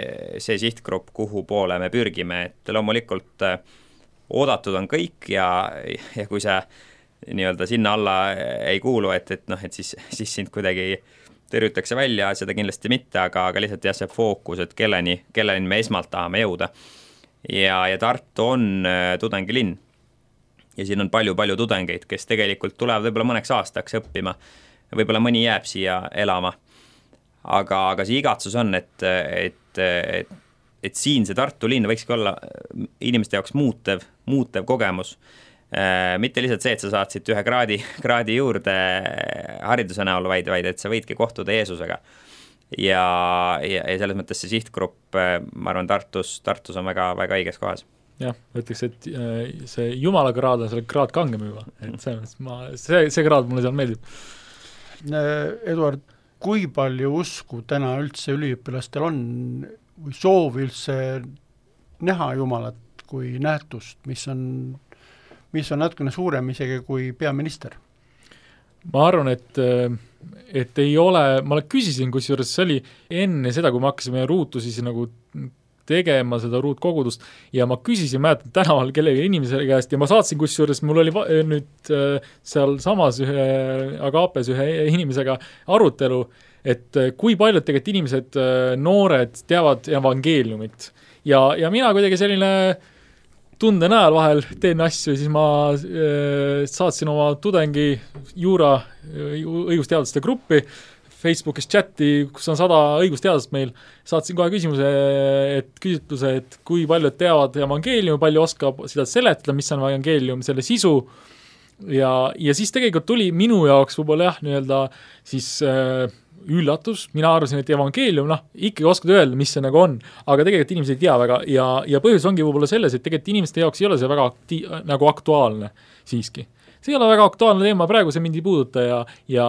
see sihtgrupp, kuhu poole me pürgime, et loomulikult oodatud on kõik ja, ja kui sa nii-öelda sinna alla ei kuulu, et, et noh, et siis, siis sind kuidagi tõrjutakse välja, seda kindlasti mitte, aga, aga lihtsalt jah, see fookus, et kelleni, kelleni me esmalt tahame jõuda. Ja, ja Tartu on tudengilinn ja siin on palju-palju tudengeid, kes tegelikult tulevad võib-olla mõneks aastaks õppima, võib-olla mõni jääb siia elama. Aga, aga see igatsus on, et, et, et, et siin see Tartu linn võikski olla inimeste jaoks muutev, muutev kogemus. Mitte lihtsalt see, et sa saad siit ühe kraadi, kraadi juurde hariduse näol, vaid, vaid et sa võidki kohtuda Jeesusega. Ja, ja, ja selles mõttes see sihtgrupp, ma arvan, Tartus, Tartus on väga, väga õiges kohas. Jah, ütleks, et see Jumala kraad on selle kraad kangem juba. Et see, ma, see, see kraad mulle seal meeldib. Eduard, kui palju usku täna üldse üliõpilastel on või soovi üldse näha Jumalat kui nähtust, mis on, mis on natukene suurem isegi kui peaminister? Ma arvan, et, et ei ole, ma küsisin, kusjuures see oli enne seda, kui me hakkasime ruutu siis nagu tegema seda ruutkogudust ja ma küsisin, mäletan tänaval kellegi inimese käest ja ma saatsin kusjuures, mul oli va- nüüd seal samas ühe Agapes ühe inimesega arutelu, et kui paljud tegelikult inimesed, noored teavad evangeeliumit ja, ja mina kuidagi selline tunde näel vahel teen asju, siis ma äh, saatsin oma tudengi juura õigusteaduste gruppi Facebookis chati, kus on sada õigusteadust meil, saatsin kohe küsimuse, et küsitluse, et kui paljud teavad evangeeliumi, palju oskab seda seletada, mis on evangeelium, selle sisu ja, ja siis tegelikult tuli minu jaoks võib-olla jah, nii-öelda siis äh, üllatus, mina arvasin, et evangeelium, noh, ikkagi oskad öelda, mis see nagu on, aga tegelikult inimesed ei tea väga ja, ja põhjus ongi võib-olla selles, et tegelikult inimeste jaoks ei ole see väga akti- nagu aktuaalne siiski. see ei ole väga aktuaalne teema, praegu see mind ei puuduta ja, ja,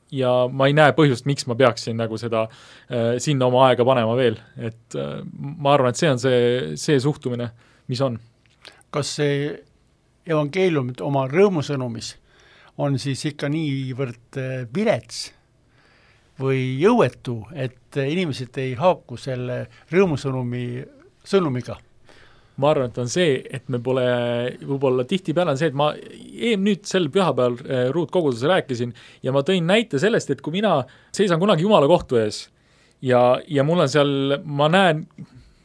ja ma ei näe põhjust, miks ma peaksin nagu seda äh, sinna oma aega panema veel, et äh, ma arvan, et see on see, see suhtumine, mis on. Kas see evangeelium oma rõõmusõnumis on siis ikka niivõrd vilets või jõuetu, et inimesed ei haaku selle rõõmusõnumi sõnumiga? Ma arvan, et on see, et me pole, võib-olla tihtipeale on see, et ma eem nüüd sel pühapäeval ruutkoguduses rääkisin ja ma tõin näite sellest, et kui mina seisan kunagi Jumala kohtu ees ja, ja mul on seal, ma näen,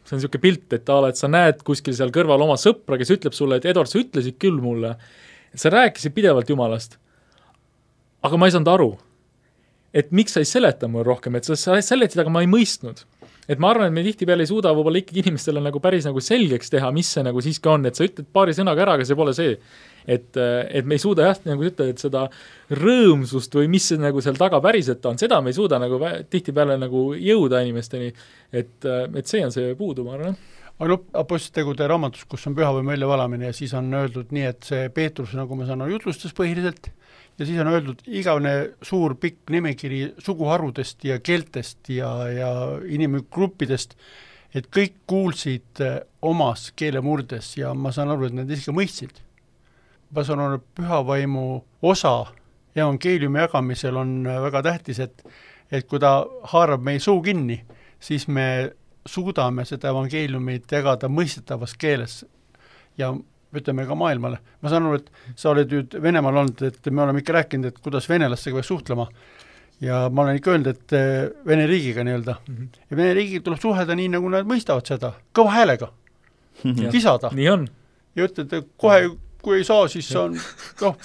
see on niisugune pilt, et, ala, et sa näed kuskil seal kõrval oma sõpra, kes ütleb sulle, et Edward, sa ütlesid küll mulle, et sa rääkisid pidevalt Jumalast, aga ma ei saanud aru, et miks sa ei seleta mul rohkem, et sa, sa seletid, aga ma ei mõistnud. Et ma arvan, et me tihtipeale ei suuda võib-olla ikkagi inimestele nagu päris nagu selgeks teha, mis see nagu siiski on, et sa ütled paari sõnaga ära, aga see pole see. Et, et me ei suuda jah, nagu ütled, et seda rõõmsust või mis see nagu seal taga päriselt on, seda me ei suuda nagu tihtipeale nagu jõuda inimesteni, et, et see on see puudu, ma arvan. Aga no, apostlitegude raamatus, kus on pühavõimu väljavalamine ja siis on öeldud nii, et see Peetrus, nagu ma saan, jutlustas põhiliselt ja siis on öeldud igavene suur pikk nimekiri suguharudest ja keeltest ja, ja inimgruppidest, et kõik kuulsid omas keelemurdes ja ma saan aru, et nad isegi mõistsid. Ma saan aru, pühavaimu osa evangeeliumi jagamisel on väga tähtis, et, et kui ta haarab meie suu kinni, siis me suudame seda evangeeliumit jagada mõistetavas keeles ja ütleme ka maailmale. Ma saan aru, et sa oled nüüd Venemaal olnud, et me oleme ikka rääkinud, et kuidas venelastega peaks suhtlema ja ma olen ikka öelnud, et Vene riigiga nii-öelda. Mm-hmm. Ja Vene riigiga tuleb suhelda nii, nagu nad mõistavad seda, kõva häälega, mm-hmm. kisada. Nii on. Ja ütled, et kohe kui ei saa, siis on, noh,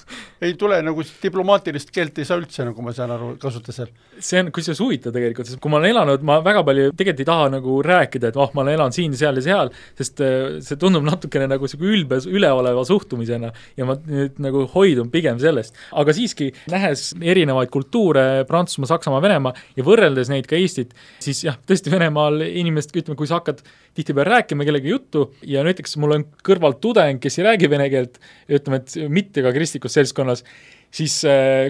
ei tule nagu diplomaatilist keelt ei saa üldse, nagu ma saan aru, kasuta seal. See on, kui see huvitav tegelikult, sest kui ma olen elanud, ma väga palju tegelikult ei taha nagu rääkida, et oh, ma olen elanud siin, seal ja seal, sest see tundub natukene nagu ülbe, üleoleva suhtumisena ja ma nüüd nagu hoidun pigem sellest. Aga siiski, nähes erinevaid kultuure, Prantsusmaa, Saksamaa, Venemaa ja võrreldes neid ka Eestit, siis jah, tõesti Venemaal inimest, ütleme, kui sa hakkad tihtipeale rääkima kellegi juttu ja näiteks mul on kõrval tudeng, kes ei räägi vene keelt, ütleme, et mitte ka kristlikus seltskonnas, siis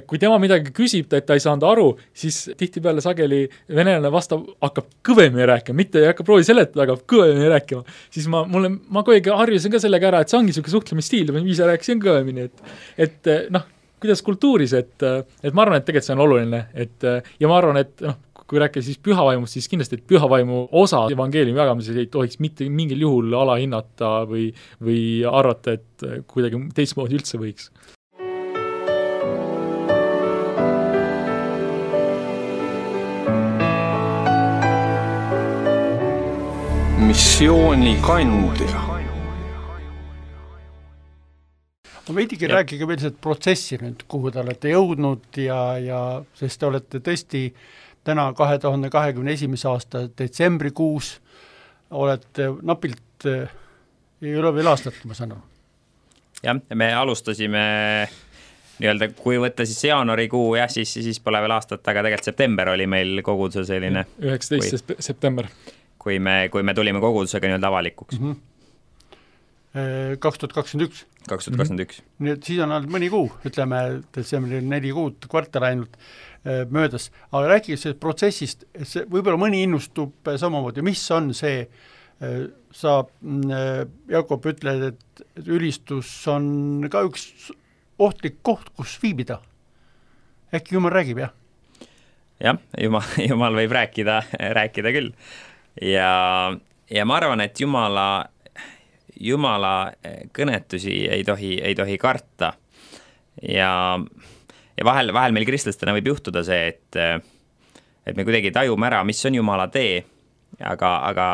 kui tema midagi küsib, et ta ei saanud aru, siis tihtipeale sageli venelane vastab, hakkab kõvemini rääkima, mitte ei hakka proovi seletada, aga kõvemini rääkima. Siis ma, mulle, ma kogu harjusin ka sellega ära, et see ongi selline suhtlemisstiil, ma ise rääkisin kõvemini, et, et noh, kuidas kultuuris, et, et ma arvan, et tegelikult see on oluline, et, ja ma arvan, et noh, kui rääkida siis pühavaimust, siis kindlasti, et pühavaimu osa evangeeliumi jagamises ei tohiks mitte mingil juhul alahinnata või, või arvata, et kuidagi teistmoodi üldse võiks. Missiooni kandja. Ma veidigi rääkige veel seda protsessi nüüd, kuhu te olete jõudnud ja, ja sest te olete tõesti täna kahe tuhande kahekümne esimese aasta detsembrikuus olete napilt ei ole veel aastat, ma saan aru. Jah, me alustasime nii-öelda, kui võtta siis jaanuarikuu, jah, siis, siis pole veel aastat, aga tegelikult september oli meil koguduse selline üheksateist kui, september. Kui me, kui me tulime kogudusega nii-öelda avalikuks. Mm-hmm. kaks tuhat kakskümmend üks kaks tuhat kakskümmend üks Nii et siis on olnud mõni kuu, ütleme, detsembri neli kuud, kvartal ainult möödas. Aga rääkige sellest protsessist, see, võib-olla mõni innustub samamoodi. Mis on see, sa, Jakob, ütled, et ülistus on ka üks ohtlik koht, kus viibida. Äkki Jumal räägib, jah? Jah, Jumal, Jumal võib rääkida, rääkida küll. Ja, ja ma arvan, et Jumala Jumala kõnetusi ei tohi, ei tohi karta ja, ja vahel, vahel meil kristlastena võib juhtuda see, et, et me kuidagi tajume ära, mis on Jumala tee, aga, aga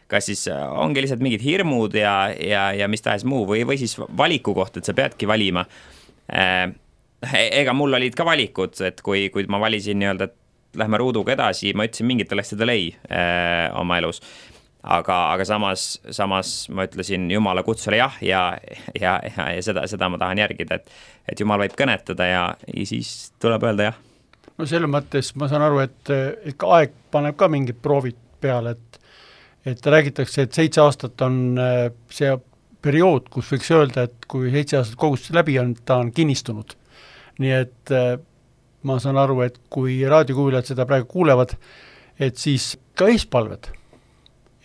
kas siis ongi lihtsalt mingid hirmud ja, ja, ja mis tahes muu või, või siis valiku koht, et sa peadki valima. Ega mul olid ka valikud, et kui, kui ma valisin nii-öelda, et lähme ruuduga edasi, ma ütlesin mingitele asjadele ei äh, oma elus. Aga, aga samas, samas ma ütlesin Jumala kutsule jah ja, ja, ja, ja seda, seda ma tahan järgida, et, et Jumal võib kõnetada ja, ja siis tuleb öelda jah. No selle mõttes ma saan aru, et ikka aeg paneb ka mingid proovid peale, et, et räägitakse, et seitse aastat on see periood, kus võiks öelda, et kui seitse aastat kogustus läbi on, ta on kinnistunud. Nii et ma saan aru, et kui raadiokuulajad seda praegu kuulevad, et siis ka eespalved,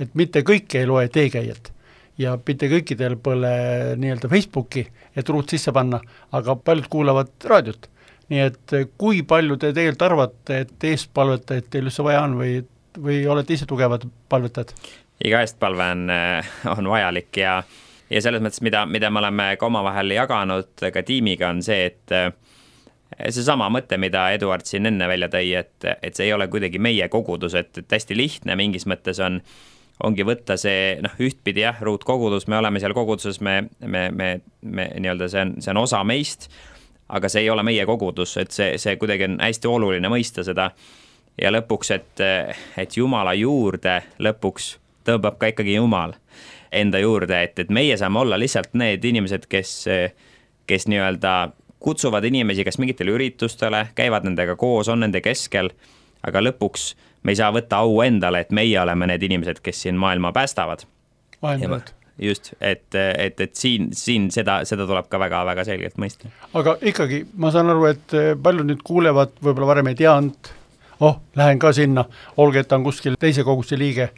et mitte kõik ei loe teekäijat ja mitte kõikidel pole nii-öelda Facebooki, et ruut sisse panna, aga paljud kuulavad raadiot. Nii et kui palju te tegelikult arvate, et eespalvetajad teil üldse vaja on või, või olete ise tugevad palvetajad? Iga eestpalve on, on vajalik ja, ja selles mõttes, mida, mida me oleme ka omavahel jaganud ka tiimiga, on see, et see sama mõte, mida Eduard siin enne välja tõi, et, et see ei ole kuidagi meie kogudus, et, et hästi lihtne mingis mõttes on, ongi võtta see, noh, ühtpidi jah, ruutkogudus, me oleme seal koguduses, me, me, me, me nii-öelda see on, see on osa meist, aga see ei ole meie kogudus, et see, see kuidagi on hästi oluline mõista seda ja lõpuks, et, et Jumala juurde lõpuks tõmbab ka ikkagi Jumal enda juurde, et, et meie saame olla lihtsalt need inimesed, kes, kes nii-öelda kutsuvad inimesi kas mingitele üritustele, käivad nendega koos, on nende keskel, aga lõpuks me ei saa võtta au endale, et meie oleme need inimesed, kes siin maailma päästavad. Vahendavad. Just, et, et, et siin, siin seda, seda tuleb ka väga, väga selgelt mõista. Aga ikkagi, ma saan aru, et paljud nüüd kuulevad, võib-olla varem ei teanud, oh, lähen ka sinna, olge, et on kuskil teise koguduste liige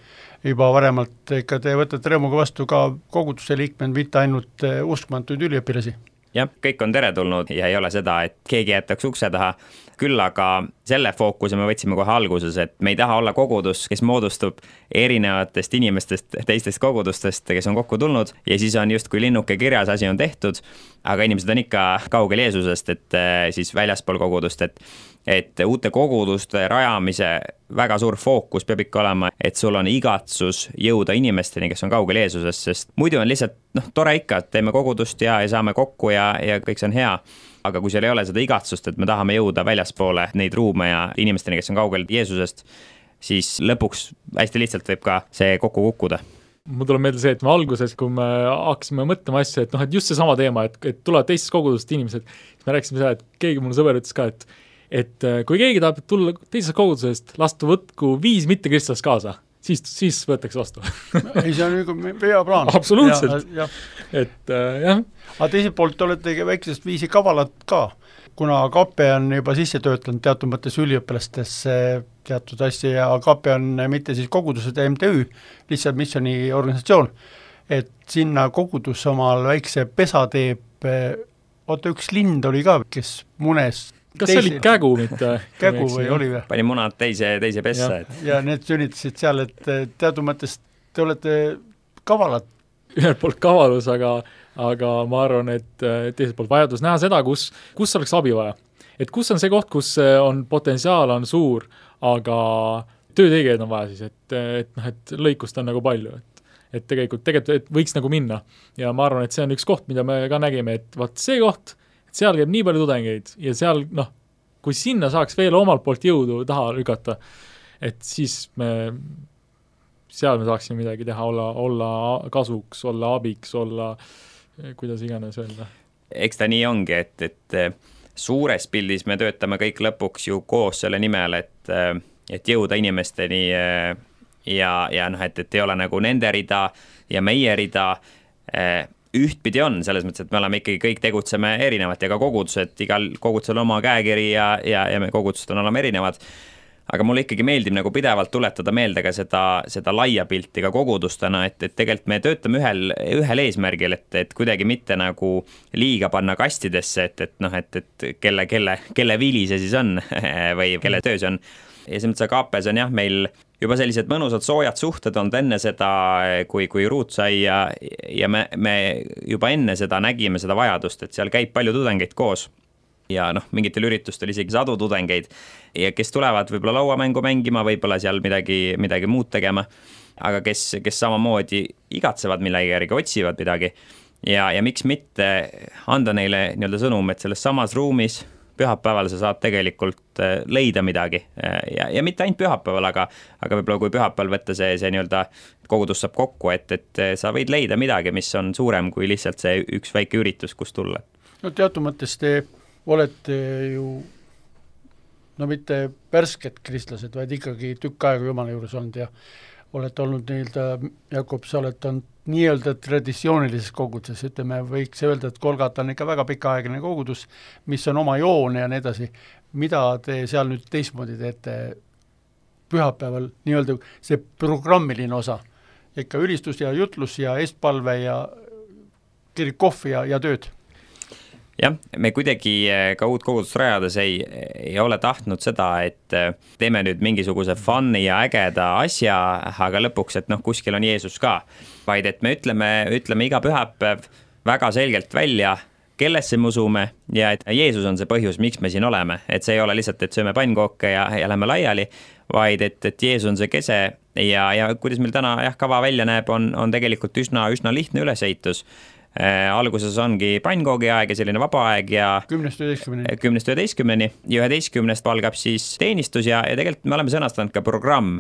juba varemalt, ikka te võtate rõõmuga vastu ka koguduste liikmed, mitte ainult uskmantuid üliõpilasi. Jah, kõik on teretulnud ja ei ole seda, et keegi jätaks ukse taha. Küll aga selle fookuse me võtsime kohe alguses, et me ei taha olla kogudus, kes moodustub erinevatest inimestest, teistest kogudustest, kes on kokku tulnud ja siis on just kui linnuke kirjas, asi on tehtud, aga inimesed on ikka kaugel Jeesusest, et siis väljaspool kogudust, et, et uute koguduste rajamise väga suur fookus peab ikka olema, et sul on igatsus jõuda inimesteni, kes on kaugel Jeesusest, sest muidu on lihtsalt, noh, tore ikka, et teeme kogudust ja, ja saame kokku ja, ja kõik see on hea. Aga kui seal ei ole seda igatsust, et me tahame jõuda väljaspoole neid ruume ja inimesteni, kes on kaugel Jeesusest, siis lõpuks hästi lihtsalt võib ka see kokku kukkuda. Mul tuleb meelde see, et me alguses, kui me hakkasime mõtlema asja, et noh, et just see sama teema, et, et tulevad teistest kogudust inimesed, siis me rääkisime seda, et keegi mul sõber ütles ka, et, et kui keegi tahab tulla teisest kogudusest, lastu võtku viis mitte kristlast kaasa, siis, siis võetakse vastu. ei, see on nagu hea plaan. Absoluutselt. Ja, ja. Et äh, jah. Aga teiselt poolt olete väiksest viisi kavalad ka, kuna Kape on juba sisse töötanud teatud mõttes üliõpilastesse teatud asja ja Kape on mitte siis kogudused M T Ü, lihtsalt missiooni organisatsioon, et sinna kogudus omal väikse pesa teeb, oota üks lind oli ka, kes munes kas teise, see oli kägu mitte? Kägu või oli või? Pani munad teise, teise pessa. Ja, et... ja need sünnitasid seal, et teatud mõttes te olete kavalad. Ühelt poolt kavalus, aga, aga ma arvan, et teiselt poolt vajadus näha seda, kus, kus oleks abi vaja. Et kus on see koht, kus on potentsiaal on suur, aga töötegijaid on vaja siis, et, et, noh, et lõikust on nagu palju, et, et tegelikult, tegelikult et võiks nagu minna. Ja ma arvan, et see on üks koht, mida me ka nägime, et vaat see koht, et seal käib nii palju tudengeid ja seal, noh, kui sinna saaks veel omalt poolt jõudu taha lükata, et siis me, seal me saaksime midagi teha, olla, olla kasuks, olla abiks, olla, kuidas iganes öelda. Eks ta nii ongi, et, et suures pildis me töötame kõik lõpuks ju koos selle nimel, et, et jõuda inimesteni ja, ja noh, et, et ei ole nagu nende rida ja meie rida. Ühtpidi on, selles mõttes, et me oleme ikkagi kõik tegutseme erinevat ja ka kogudused, igal kogudusel oma käekiri ja, ja, ja me kogudused on olema erinevad. Aga mulle ikkagi meeldib nagu pidevalt tuletada meelde ka seda, seda laia pilti ka kogudustena, et, et tegelikult me töötame ühel, ühel eesmärgil, et, et kuidagi mitte nagu liiga panna kastidesse, et, et noh, et, et kelle, kelle, kelle vili see siis on või kelle töö see on. Ja see mõttes Kaapes on jah, meil juba sellised mõnusad soojad suhted on enne seda, kui, kui ruut sai ja, ja me, me juba enne seda nägime seda vajadust, et seal käib palju tudengeid koos ja noh, mingitel üritustel isegi sadu tudengeid ja kes tulevad võib-olla lauamängu mängima, võib-olla seal midagi, midagi muud tegema, aga kes, kes samamoodi igatsevad millegi järgi, otsivad midagi ja, ja miks mitte anda neile nii-öelda sõnum, et selles samas ruumis pühapäeval sa saad tegelikult leida midagi ja, ja mitte ainult pühapäeval, aga, aga võib-olla kui pühapäeval võtta see, see nii-öelda kogudus saab kokku, et, et sa võid leida midagi, mis on suurem kui lihtsalt see üks väike üritus, kus tulla. No teatud mõttes te olete ju no mitte värsked kristlased, vaid ikkagi tükk aega Jumala juures olnud ja olete olnud nii-öelda, Jakob, sa oled olnud nii-öelda traditsioonilises koguduses, ütleme, võiks öelda, et Golgata on ikka väga pikaaegne kogudus, mis on oma joone ja nii edasi. Mida te seal nüüd teistmoodi teete pühapäeval, nii-öelda see programmiline osa, ikka ülistus ja jutlus ja eestpalve ja kirikohv ja, ja tööd? Jah, me kuidagi ka uut kogudust rajades ei, ei ole tahtnud seda, et teeme nüüd mingisuguse fun'i ja ägeda asja, aga lõpuks, et noh, kuskil on Jeesus ka. Vaid et me ütleme, ütleme iga pühapäev väga selgelt välja, kellesse me usume ja et Jeesus on see põhjus, miks me siin oleme. Et see ei ole lihtsalt, et sööme pannkooke ja, ja lähme laiali, vaid et, et Jeesus on see kese ja, ja kuidas meil täna jah, kava välja näeb, on, on tegelikult üsna, üsna lihtne üleseitus. Äh, alguses ongi pannkoogi aeg ja selline vaba aeg ja kümnest üheteistkümneni kümnest üheteistkümneni ja üheteistkümnest algab siis teenistus ja, ja tegelikult me oleme sõnastanud ka programm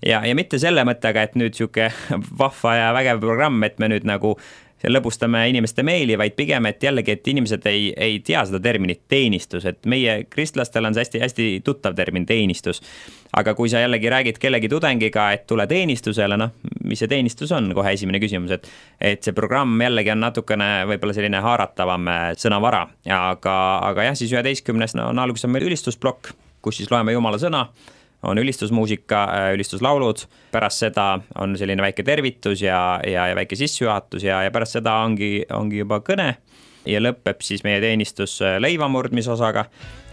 ja, ja mitte selle mõttega, et nüüd siuke vahva ja vägev programm, et me nüüd nagu lõbustame inimeste meeli, vaid pigem, et jällegi, et inimesed ei, ei tea seda terminit teenistus, et meie kristlastel on see hästi, hästi tuttav termin teenistus. Aga kui sa jällegi räägid kellegi tudengiga, et tule teenistusele, noh, mis see teenistus on, kohe esimene küsimus, et, et see programm jällegi on natukene võib-olla selline haaratavam sõnavara, aga, aga jah, siis üheteistkümnes no, on alguses on meil ülistusblokk, kus siis loeme Jumala sõna, on ülistusmuusika, ülistuslaulud, pärast seda on selline väike tervitus ja, ja, ja väike sissejuhatus ja, ja pärast seda ongi, ongi juba kõne ja lõpeb siis meie teenistus leivamurdmisosaga.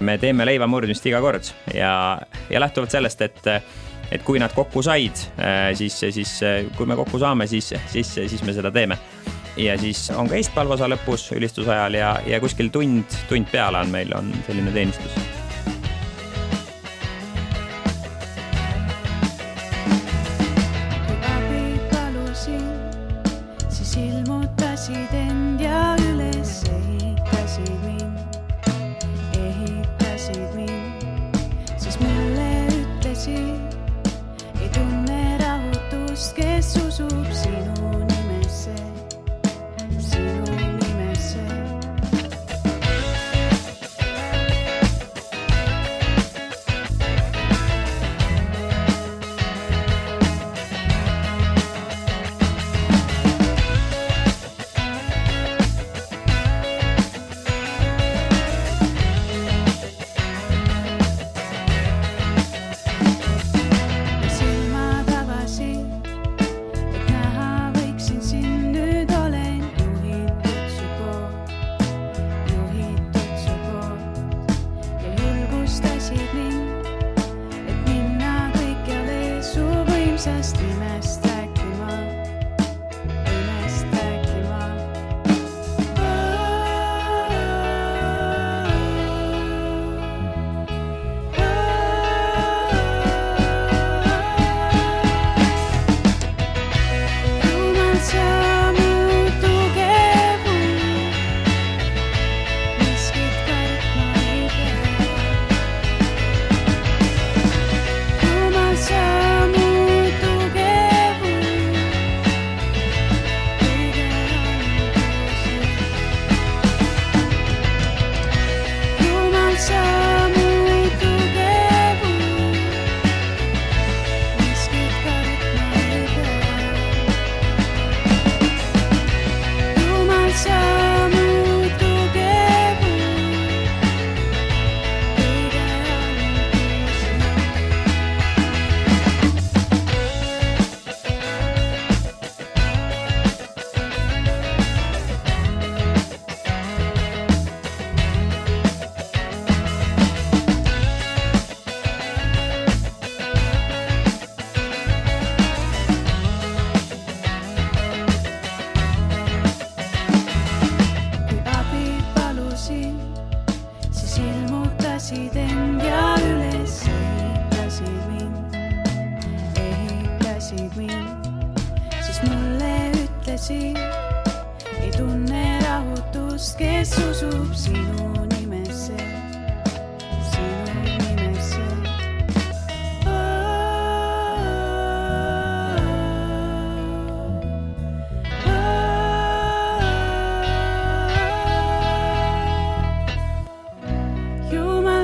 Me teeme leivamurdmist iga kord ja, ja lähtuvalt sellest, et, et kui nad kokku said, siis, siis kui me kokku saame, siis, siis, siis me seda teeme. Ja siis on ka eestpalvosa lõpus ülistusajal ja, ja kuskil tund, tund peale on meil on selline teenistus.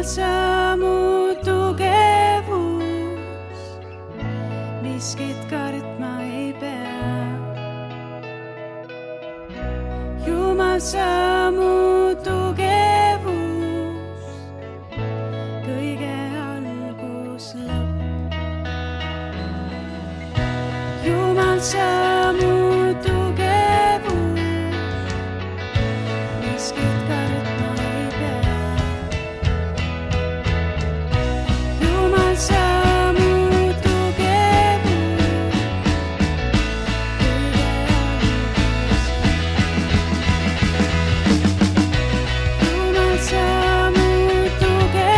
Sa mu tugevus, miskit kartma ei pea. Jumal, sa mu tugevus, kõige algus lõpp. Jumal, sa mu tugevus, miskit kartma ei pea. Jumal, sa mu tugevus, kõige algus. Jumal, sa mu tugevus,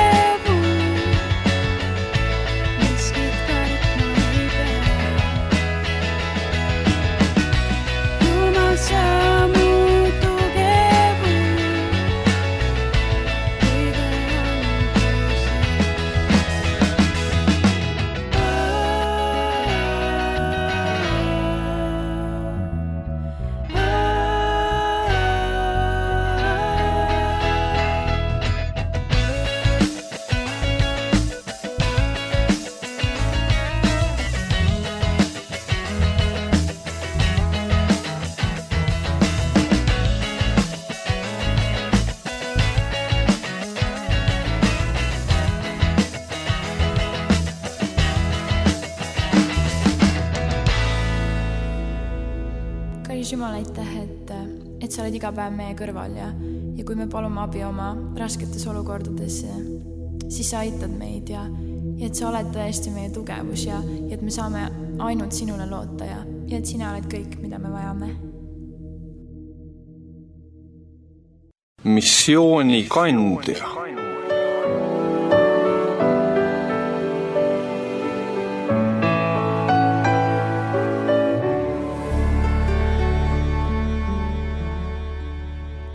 miskit kartma ei pea. Jumal, sa mu tugevus, kõige algus. Kallis Jumal, aitäh, et, et sa oled iga päev meie kõrval ja, ja kui me palume abi oma rasketes olukordades, siis sa aitad meid ja, ja et sa oled tõesti meie tugevus ja, ja et me saame ainult sinule loota ja, ja et sina oled kõik, mida me vajame. Missiooni kandja.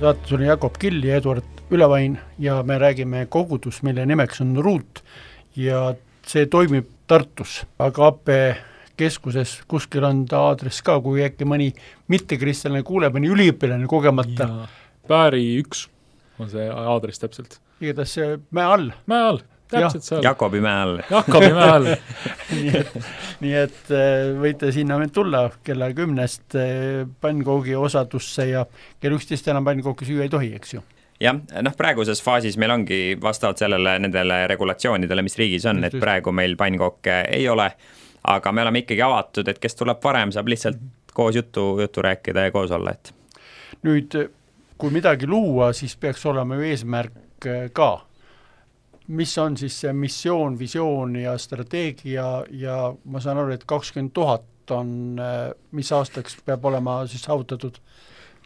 Saates oli Jakob Kill ja Eduard Ülevain ja me räägime kogudus, mille nimeks on Ruut ja see toimib Tartus, aga A P keskuses kuskil on ta aadress ka, kui äkki mõni mittekristlane kuuleb, mõni üliõpilane kogemata. Ja Pääri üks on see aadress täpselt. Igatahes see mäe all. Mäe all, täpselt seal. Jakobi mäe all. Jakobi mäe all. nii et, nii et võite sinna tulla kella kümnest pannkoogi osadusse ja kell üksteist enam pannkooki süüa ei tohi, eks ju. Jah, noh praeguses faasis meil ongi vastavalt sellele nendele regulatsioonidele, mis riigis on, et praegu meil pannkooke ei ole, aga me oleme ikkagi avatud, et kes tuleb varem, saab lihtsalt koos juttu, juttu rääkida ja koos olla. Et. Nüüd, kui midagi luua, siis peaks olema ju eesmärk ka. Mis on siis see missioon, visioon ja strateegia ja ma saan aru, et kakskümmend tuhat on, mis aastaks peab olema siis saavutatud?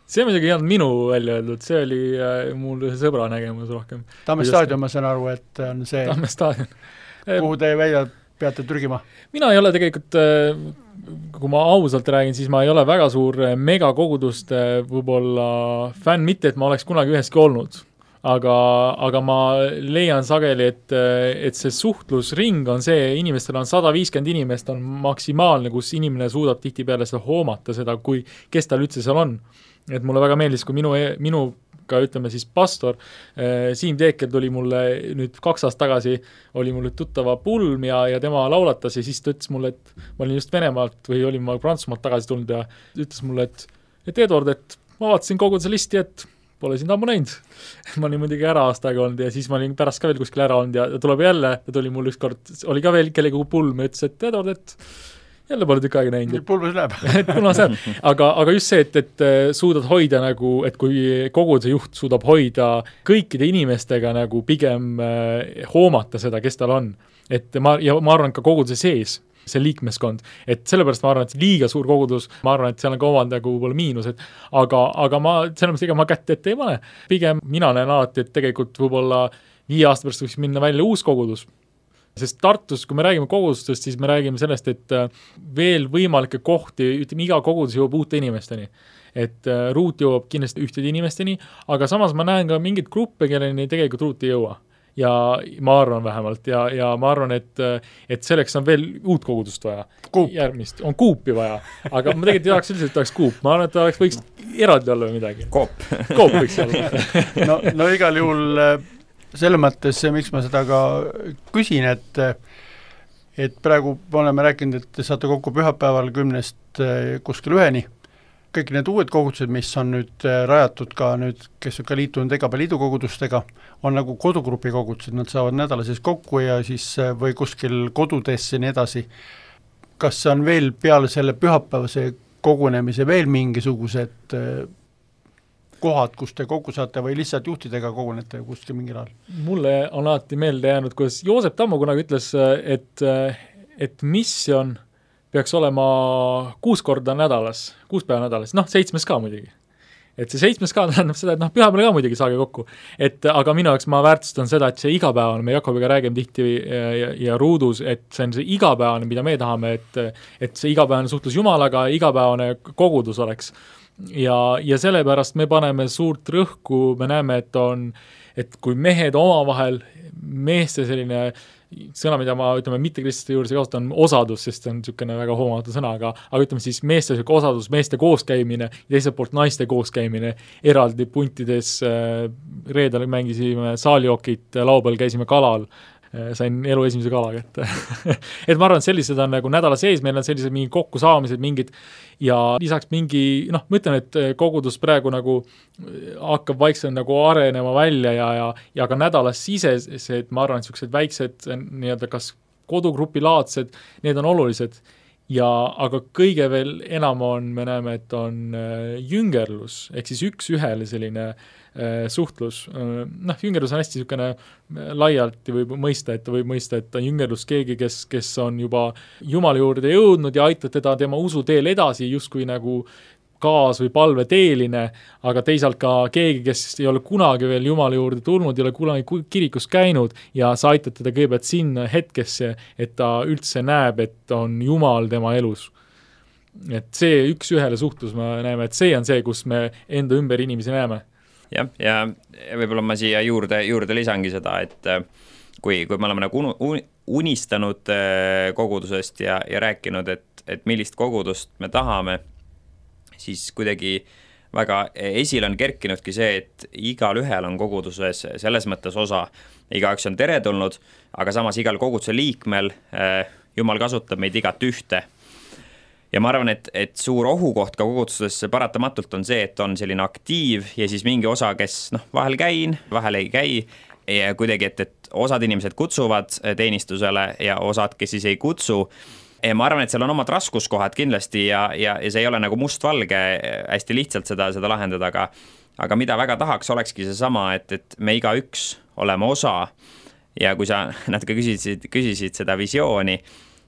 See muidugi ei olnud minu välja öeldud, see oli äh, mul sõbra nägemus rohkem. Tamme staadion, ma saan aru, et on see, Tamme staadion. Kuhu te välja peate trügima? Mina ei ole tegelikult, kui ma ausalt räägin, siis ma ei ole väga suur megakoguduste võib-olla fänn, mitte et ma oleks kunagi üheski olnud. Aga, aga ma leian sageli, et, et see suhtlusring on see, inimestel on sada viiskümmend inimest on maksimaalne, kus inimene suudab tihti peale seda hoomata seda, kui kes tal üldse seal on. Et mulle väga meeldis, kui minu, minuga ütleme siis pastor Siim Teekel tuli mulle nüüd kaks aastat tagasi, oli mulle tuttava pulm ja, ja tema laulatas ja siis ta ütles mulle, et ma olin just Venemaalt või olin ma Prantsusmaalt tagasi tulnud ja ütles mulle, et, et Edward, et ma vaatasin kogu see listi, et pole sind ammu näinud. Ma olin muidugi ära aasta aega olnud ja siis ma olin pärast ka veel kuskil ära olnud ja tuleb jälle, ja tuli mul üks kord, oli ka veel kellegi pulm ja ütles, et Edward, et jälle pole tükk aega näinud. Pulmas läheb. et kuna see, aga, aga just see, et, et suudad hoida nagu, et kui koguduse juht suudab hoida kõikide inimestega nagu pigem eh, hoomata seda, kes tal on. Et ma, ja ma arvan ka koguduse sees, see liikmeskond, et sellepärast ma arvan, et liiga suur kogudus, ma arvan, et seal on ka omand nagu võib-olla miinused, aga, aga ma, sellepärast ega ma kätte ette ei pane. Pigem mina näen alati, et tegelikult võib-olla viie aasta pärast võiks minna välja uus kogudus. Sest Tartus, kui me räägime kogudustest, siis me räägime sellest, et veel võimalikke kohti, ütleme, iga kogudus jõuab uute inimesteni. Et Ruut jõuab kindlasti ühtede inimesteni, aga samas ma näen ka mingid gruppe, kelleni tegelikult Ruut ei jõua. Ja ma arvan vähemalt, ja, ja ma arvan, et, et selleks on veel uut kogudust vaja. Kuup. Järgmist, on kuupi vaja, aga ma tegelikult ei tahaks üldiselt, et oleks kuup. Ma arvan, et ta oleks, võiks eraldi olla või midagi. Koop. Koop võiks olla. no, no igal juhul selle mõttes, miks ma seda ka küsin, et et praegu me oleme rääkinud, et te saate kokku pühapäeval kümnest kuskil üheni, kõik need uued kogudused, mis on nüüd rajatud ka nüüd, kes on ka liitunud E G A liidu kogudustega, on nagu kodugrupi kogudused, nad saavad nädala sees kokku ja siis või kuskil kodudes ja nii edasi. Kas on veel peale selle pühapäevase kogunemise veel mingisugused kohad, kus te kokku saate või lihtsalt juhtidega kogunete kuskil mingil ajal? Mulle on alati meelde jäänud, kuidas Joosep Tammo kunagi ütles, et, et misjon peaks olema kuus korda nädalas, kuus päeva nädalas, noh, seitsmes ka muidugi. Et see seitsmes ka tähendab seda, et noh, pühapäeval ka muidugi saage kokku. Et aga minu jaoks ma väärtustan seda, et see igapäevane, me Jakobiga räägime tihti ja, ja, ja Ruudus, et see on see igapäevane, mida me tahame, et, et see igapäevane suhtlus Jumalaga, igapäevane kogudus oleks. Ja, ja sellepärast me paneme suurt rõhku, me näeme, et on, et kui mehed omavahel, meeste selline sõna, mida ma ütleme mittekristlaste juures kasutan, osadus, sest see on niisugune väga hoomatu sõna, aga, aga ütleme siis meeste osadus, meeste kooskäimine ja teiselt poolt naiste kooskäimine eraldi puntides, reedel mängisime saaliokit, laupäeval käisime kalal, sain elu esimese kala kätte. et ma arvan, et sellised on nagu nädala sees, meil on sellised mingid kokkusaamised, mingid ja lisaks mingi, noh, ma ütlen, et kogudus praegu nagu hakkab vaikselt nagu arenema välja ja, ja, ja ka nädalas sises, et ma arvan, et sellised väiksed nii-öelda kas kodugrupi-laadsed, need on olulised. Ja aga kõige veel enam on, me näeme, et on jüngerlus, ehk siis üks ühele selline suhtlus. Noh, jüngerlus on hästi niisugune laialt võib mõista, et võib mõista, et on jüngerlus keegi, kes, kes on juba Jumala juurde jõudnud ja aitab teda tema usuteel edasi justkui nagu kaas- või palveteeline, aga teisalt ka keegi, kes ei ole kunagi veel Jumala juurde tulnud, ei ole kunagi kirikus käinud ja sa aitad teda kõigepealt sinna hetkesse, et ta üldse näeb, et on Jumal tema elus. Et see üks ühele suhtlus, me näeme, et see on see, kus me enda ümber inimesi näeme. Jah, ja võib-olla ma siia juurde, juurde lisangi seda, et kui, kui me oleme nagu unistanud kogudusest ja, ja rääkinud, et, et millist kogudust me tahame, siis kuidagi väga esile on kerkinudki see, et igal ühel on koguduses selles mõttes osa, igaüks on teretulnud, aga samas igal koguduse liikmel Jumal kasutab meid igat ühte. Ja ma arvan, et, et suur ohukoht ka kogudustes paratamatult on see, et on selline aktiiv ja siis mingi osa, kes noh, vahel käin, vahel ei käi ja kuidagi, et, et osad inimesed kutsuvad teenistusele ja osad, kes siis ei kutsu. Ja ma arvan, et seal on omad raskuskohad kindlasti ja, ja, ja see ei ole nagu mustvalge hästi lihtsalt seda, seda lahendada, aga, aga mida väga tahaks, olekski see sama, et, et me iga üks oleme osa ja kui sa natuke küsisid, küsisid seda visiooni,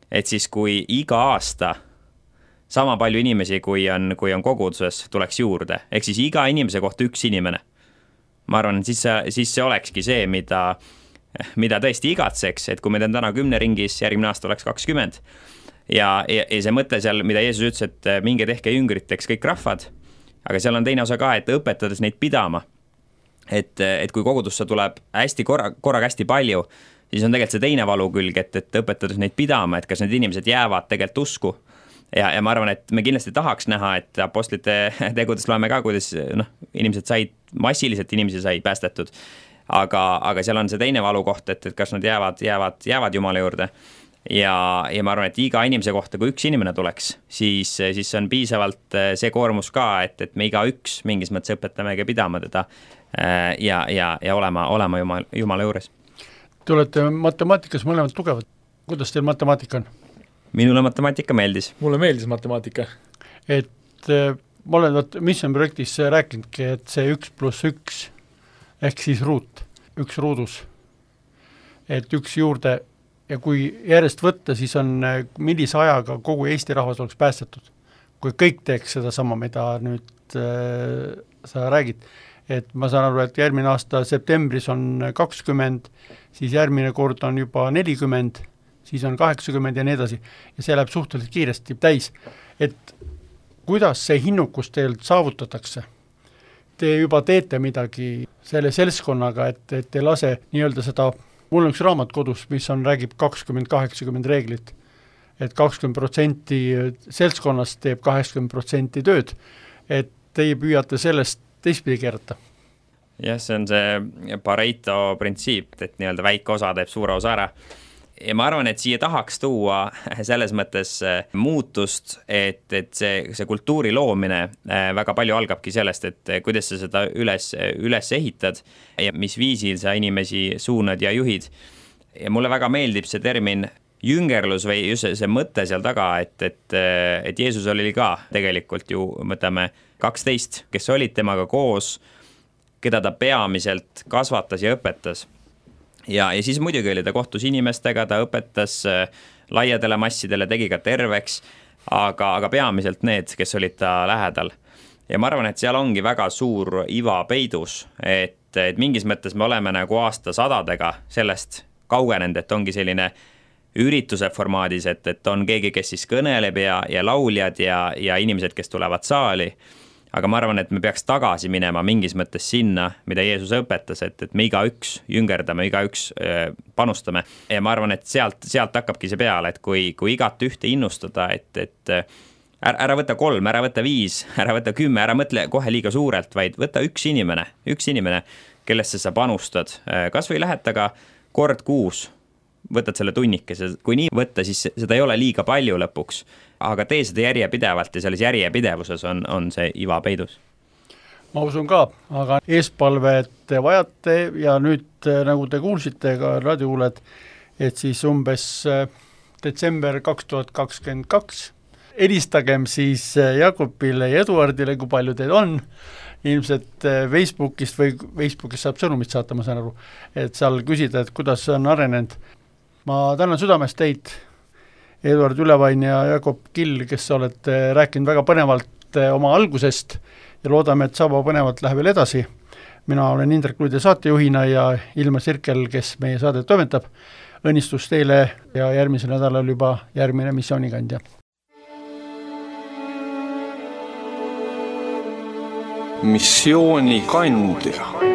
et siis kui iga aasta sama palju inimesi, kui on, kui on koguduses, tuleks juurde. Ehk siis iga inimese kohta üks inimene. Ma arvan, siis see, siis see olekski see, mida, mida tõesti igatseks, et kui meid on täna kümne ringis, järgmine aasta oleks kakskümmend. Ja, ja, ja see mõte seal, mida Jeesus ütles, et minge tehke jüngriteks kõik rahvad, aga seal on teine osa ka, et õpetades neid pidama. Et, et kui kogudusse tuleb hästi korra, korraga hästi palju, siis on tegelikult see teine valu külg, et, et õpetades neid pidama, et kas need inimesed jäävad tegelikult usku. Ja, ja ma arvan, et me kindlasti tahaks näha, et apostlite tegudes loeme ka, kuidas noh, inimesed said, massiliselt inimesi sai päästetud, aga, aga seal on see teine valukoht, et, et kas nad jäävad, jäävad, jäävad Jumala juurde ja, ja ma arvan, et iga inimese kohta, kui üks inimene tuleks, siis, siis on piisavalt see koormus ka, et, et me iga üks mingis mõttes õpetamegi pidama teda ja, ja, ja olema, olema Jumala, Jumala juures. Te olete matemaatikas mõlemad tugevad. Kuidas teil matemaatika on? Minule matemaatika meeldis. Mulle meeldis matemaatika. Et ma olen Mission projektis rääkinudki, et see üks pluss üks ehk siis ruut, üks ruudus, et üks juurde ja kui järjest võtta, siis on millise ajaga kogu Eesti rahvas oleks päästetud. Kui kõik teeks seda sama, mida nüüd äh, sa räägid, et ma saan aru, et järgmine aasta septembris on kakskümmend, siis järgmine kord on juba nelikümmend, siis on kaheksakümmend ja nii edasi. Ja see läheb suhteliselt kiiresti täis. Et kuidas see hinnukus teil saavutatakse? Te juba teete midagi selle seltskonnaga, et, et te lase nii-öelda seda, mul on üks raamat kodus, mis on, räägib kakskümmend kaheksakümmend reeglit, et kakskümmend protsenti seltskonnast teeb kaheksakümmend protsenti tööd, et teie püüate sellest teistpidi keerata. Jah, see on see Pareto printsiip, et nii-öelda väike osa teeb suure osa ära. ja ma arvan, et siia tahaks tuua selles mõttes muutust, et, et see, see kultuuri loomine väga palju algabki sellest, et kuidas sa seda üles, üles ehitad ja mis viisil sa inimesi suunad ja juhid. Ja mulle väga meeldib see termin jüngerlus või just see mõte seal taga, et, et, et Jeesus oli ka tegelikult ju, mõtleme, kaksteist, kes olid temaga koos, keda ta peamiselt kasvatas ja õpetas. Ja, ja siis muidugi oli ta kohtus inimestega, ta õpetas laiadele massidele, tegi ka terveks, aga, aga peamiselt need, kes olid ta lähedal. Ja ma arvan, et seal ongi väga suur iva peidus, et, et mingis mõttes me oleme nagu aastasadadega sellest kaugenenud, et ongi selline ürituse formaadis, et, et on keegi, kes siis kõneleb ja, ja lauljad ja, ja inimesed, kes tulevad saali. Aga ma arvan, et me peaks tagasi minema mingis mõttes sinna, mida Jeesus õpetas, et, et me iga üks jüngerdame, iga üks panustame. Ja ma arvan, et sealt, sealt hakkabki see peale, et kui, kui igat ühte innustada, et, et ära, ära võtta kolm, ära võtta viis, ära võtta kümme, ära mõtle kohe liiga suurelt, vaid võtta üks inimene, üks inimene, kellesse sa panustad. Kas või lähed taga kord kuus, võtad selle tunnikese, kui nii võtta, siis seda ei ole liiga palju lõpuks. Aga tee seda järjepidevalt ja selles järjepidevuses on, on see iva peidus. Ma usun ka, aga eespalvet te vajate ja nüüd, nagu te kuulsite ka raadiokuulajad, et siis umbes detsember kaks tuhat kakskümmend kaks helistagem siis Jakobile ja Eduardile, kui palju teid on, ilmselt Facebookist või Facebookist saab sõnumit saata, ma saan aru, et seal küsida, et kuidas on arenenud. Ma tänan südamest teid, Eduard Ülevain ja Jakob Kill, kes olete rääkinud väga põnevalt oma algusest ja loodame, et sama põnevalt läheb veel edasi. Mina olen Indrek Luide saatejuhina ja Ilmar Sirkel, kes meie saadet toimetab. Õnnistus teile ja järgmisel nädalal juba järgmine missioonikandja. Missioonikandja.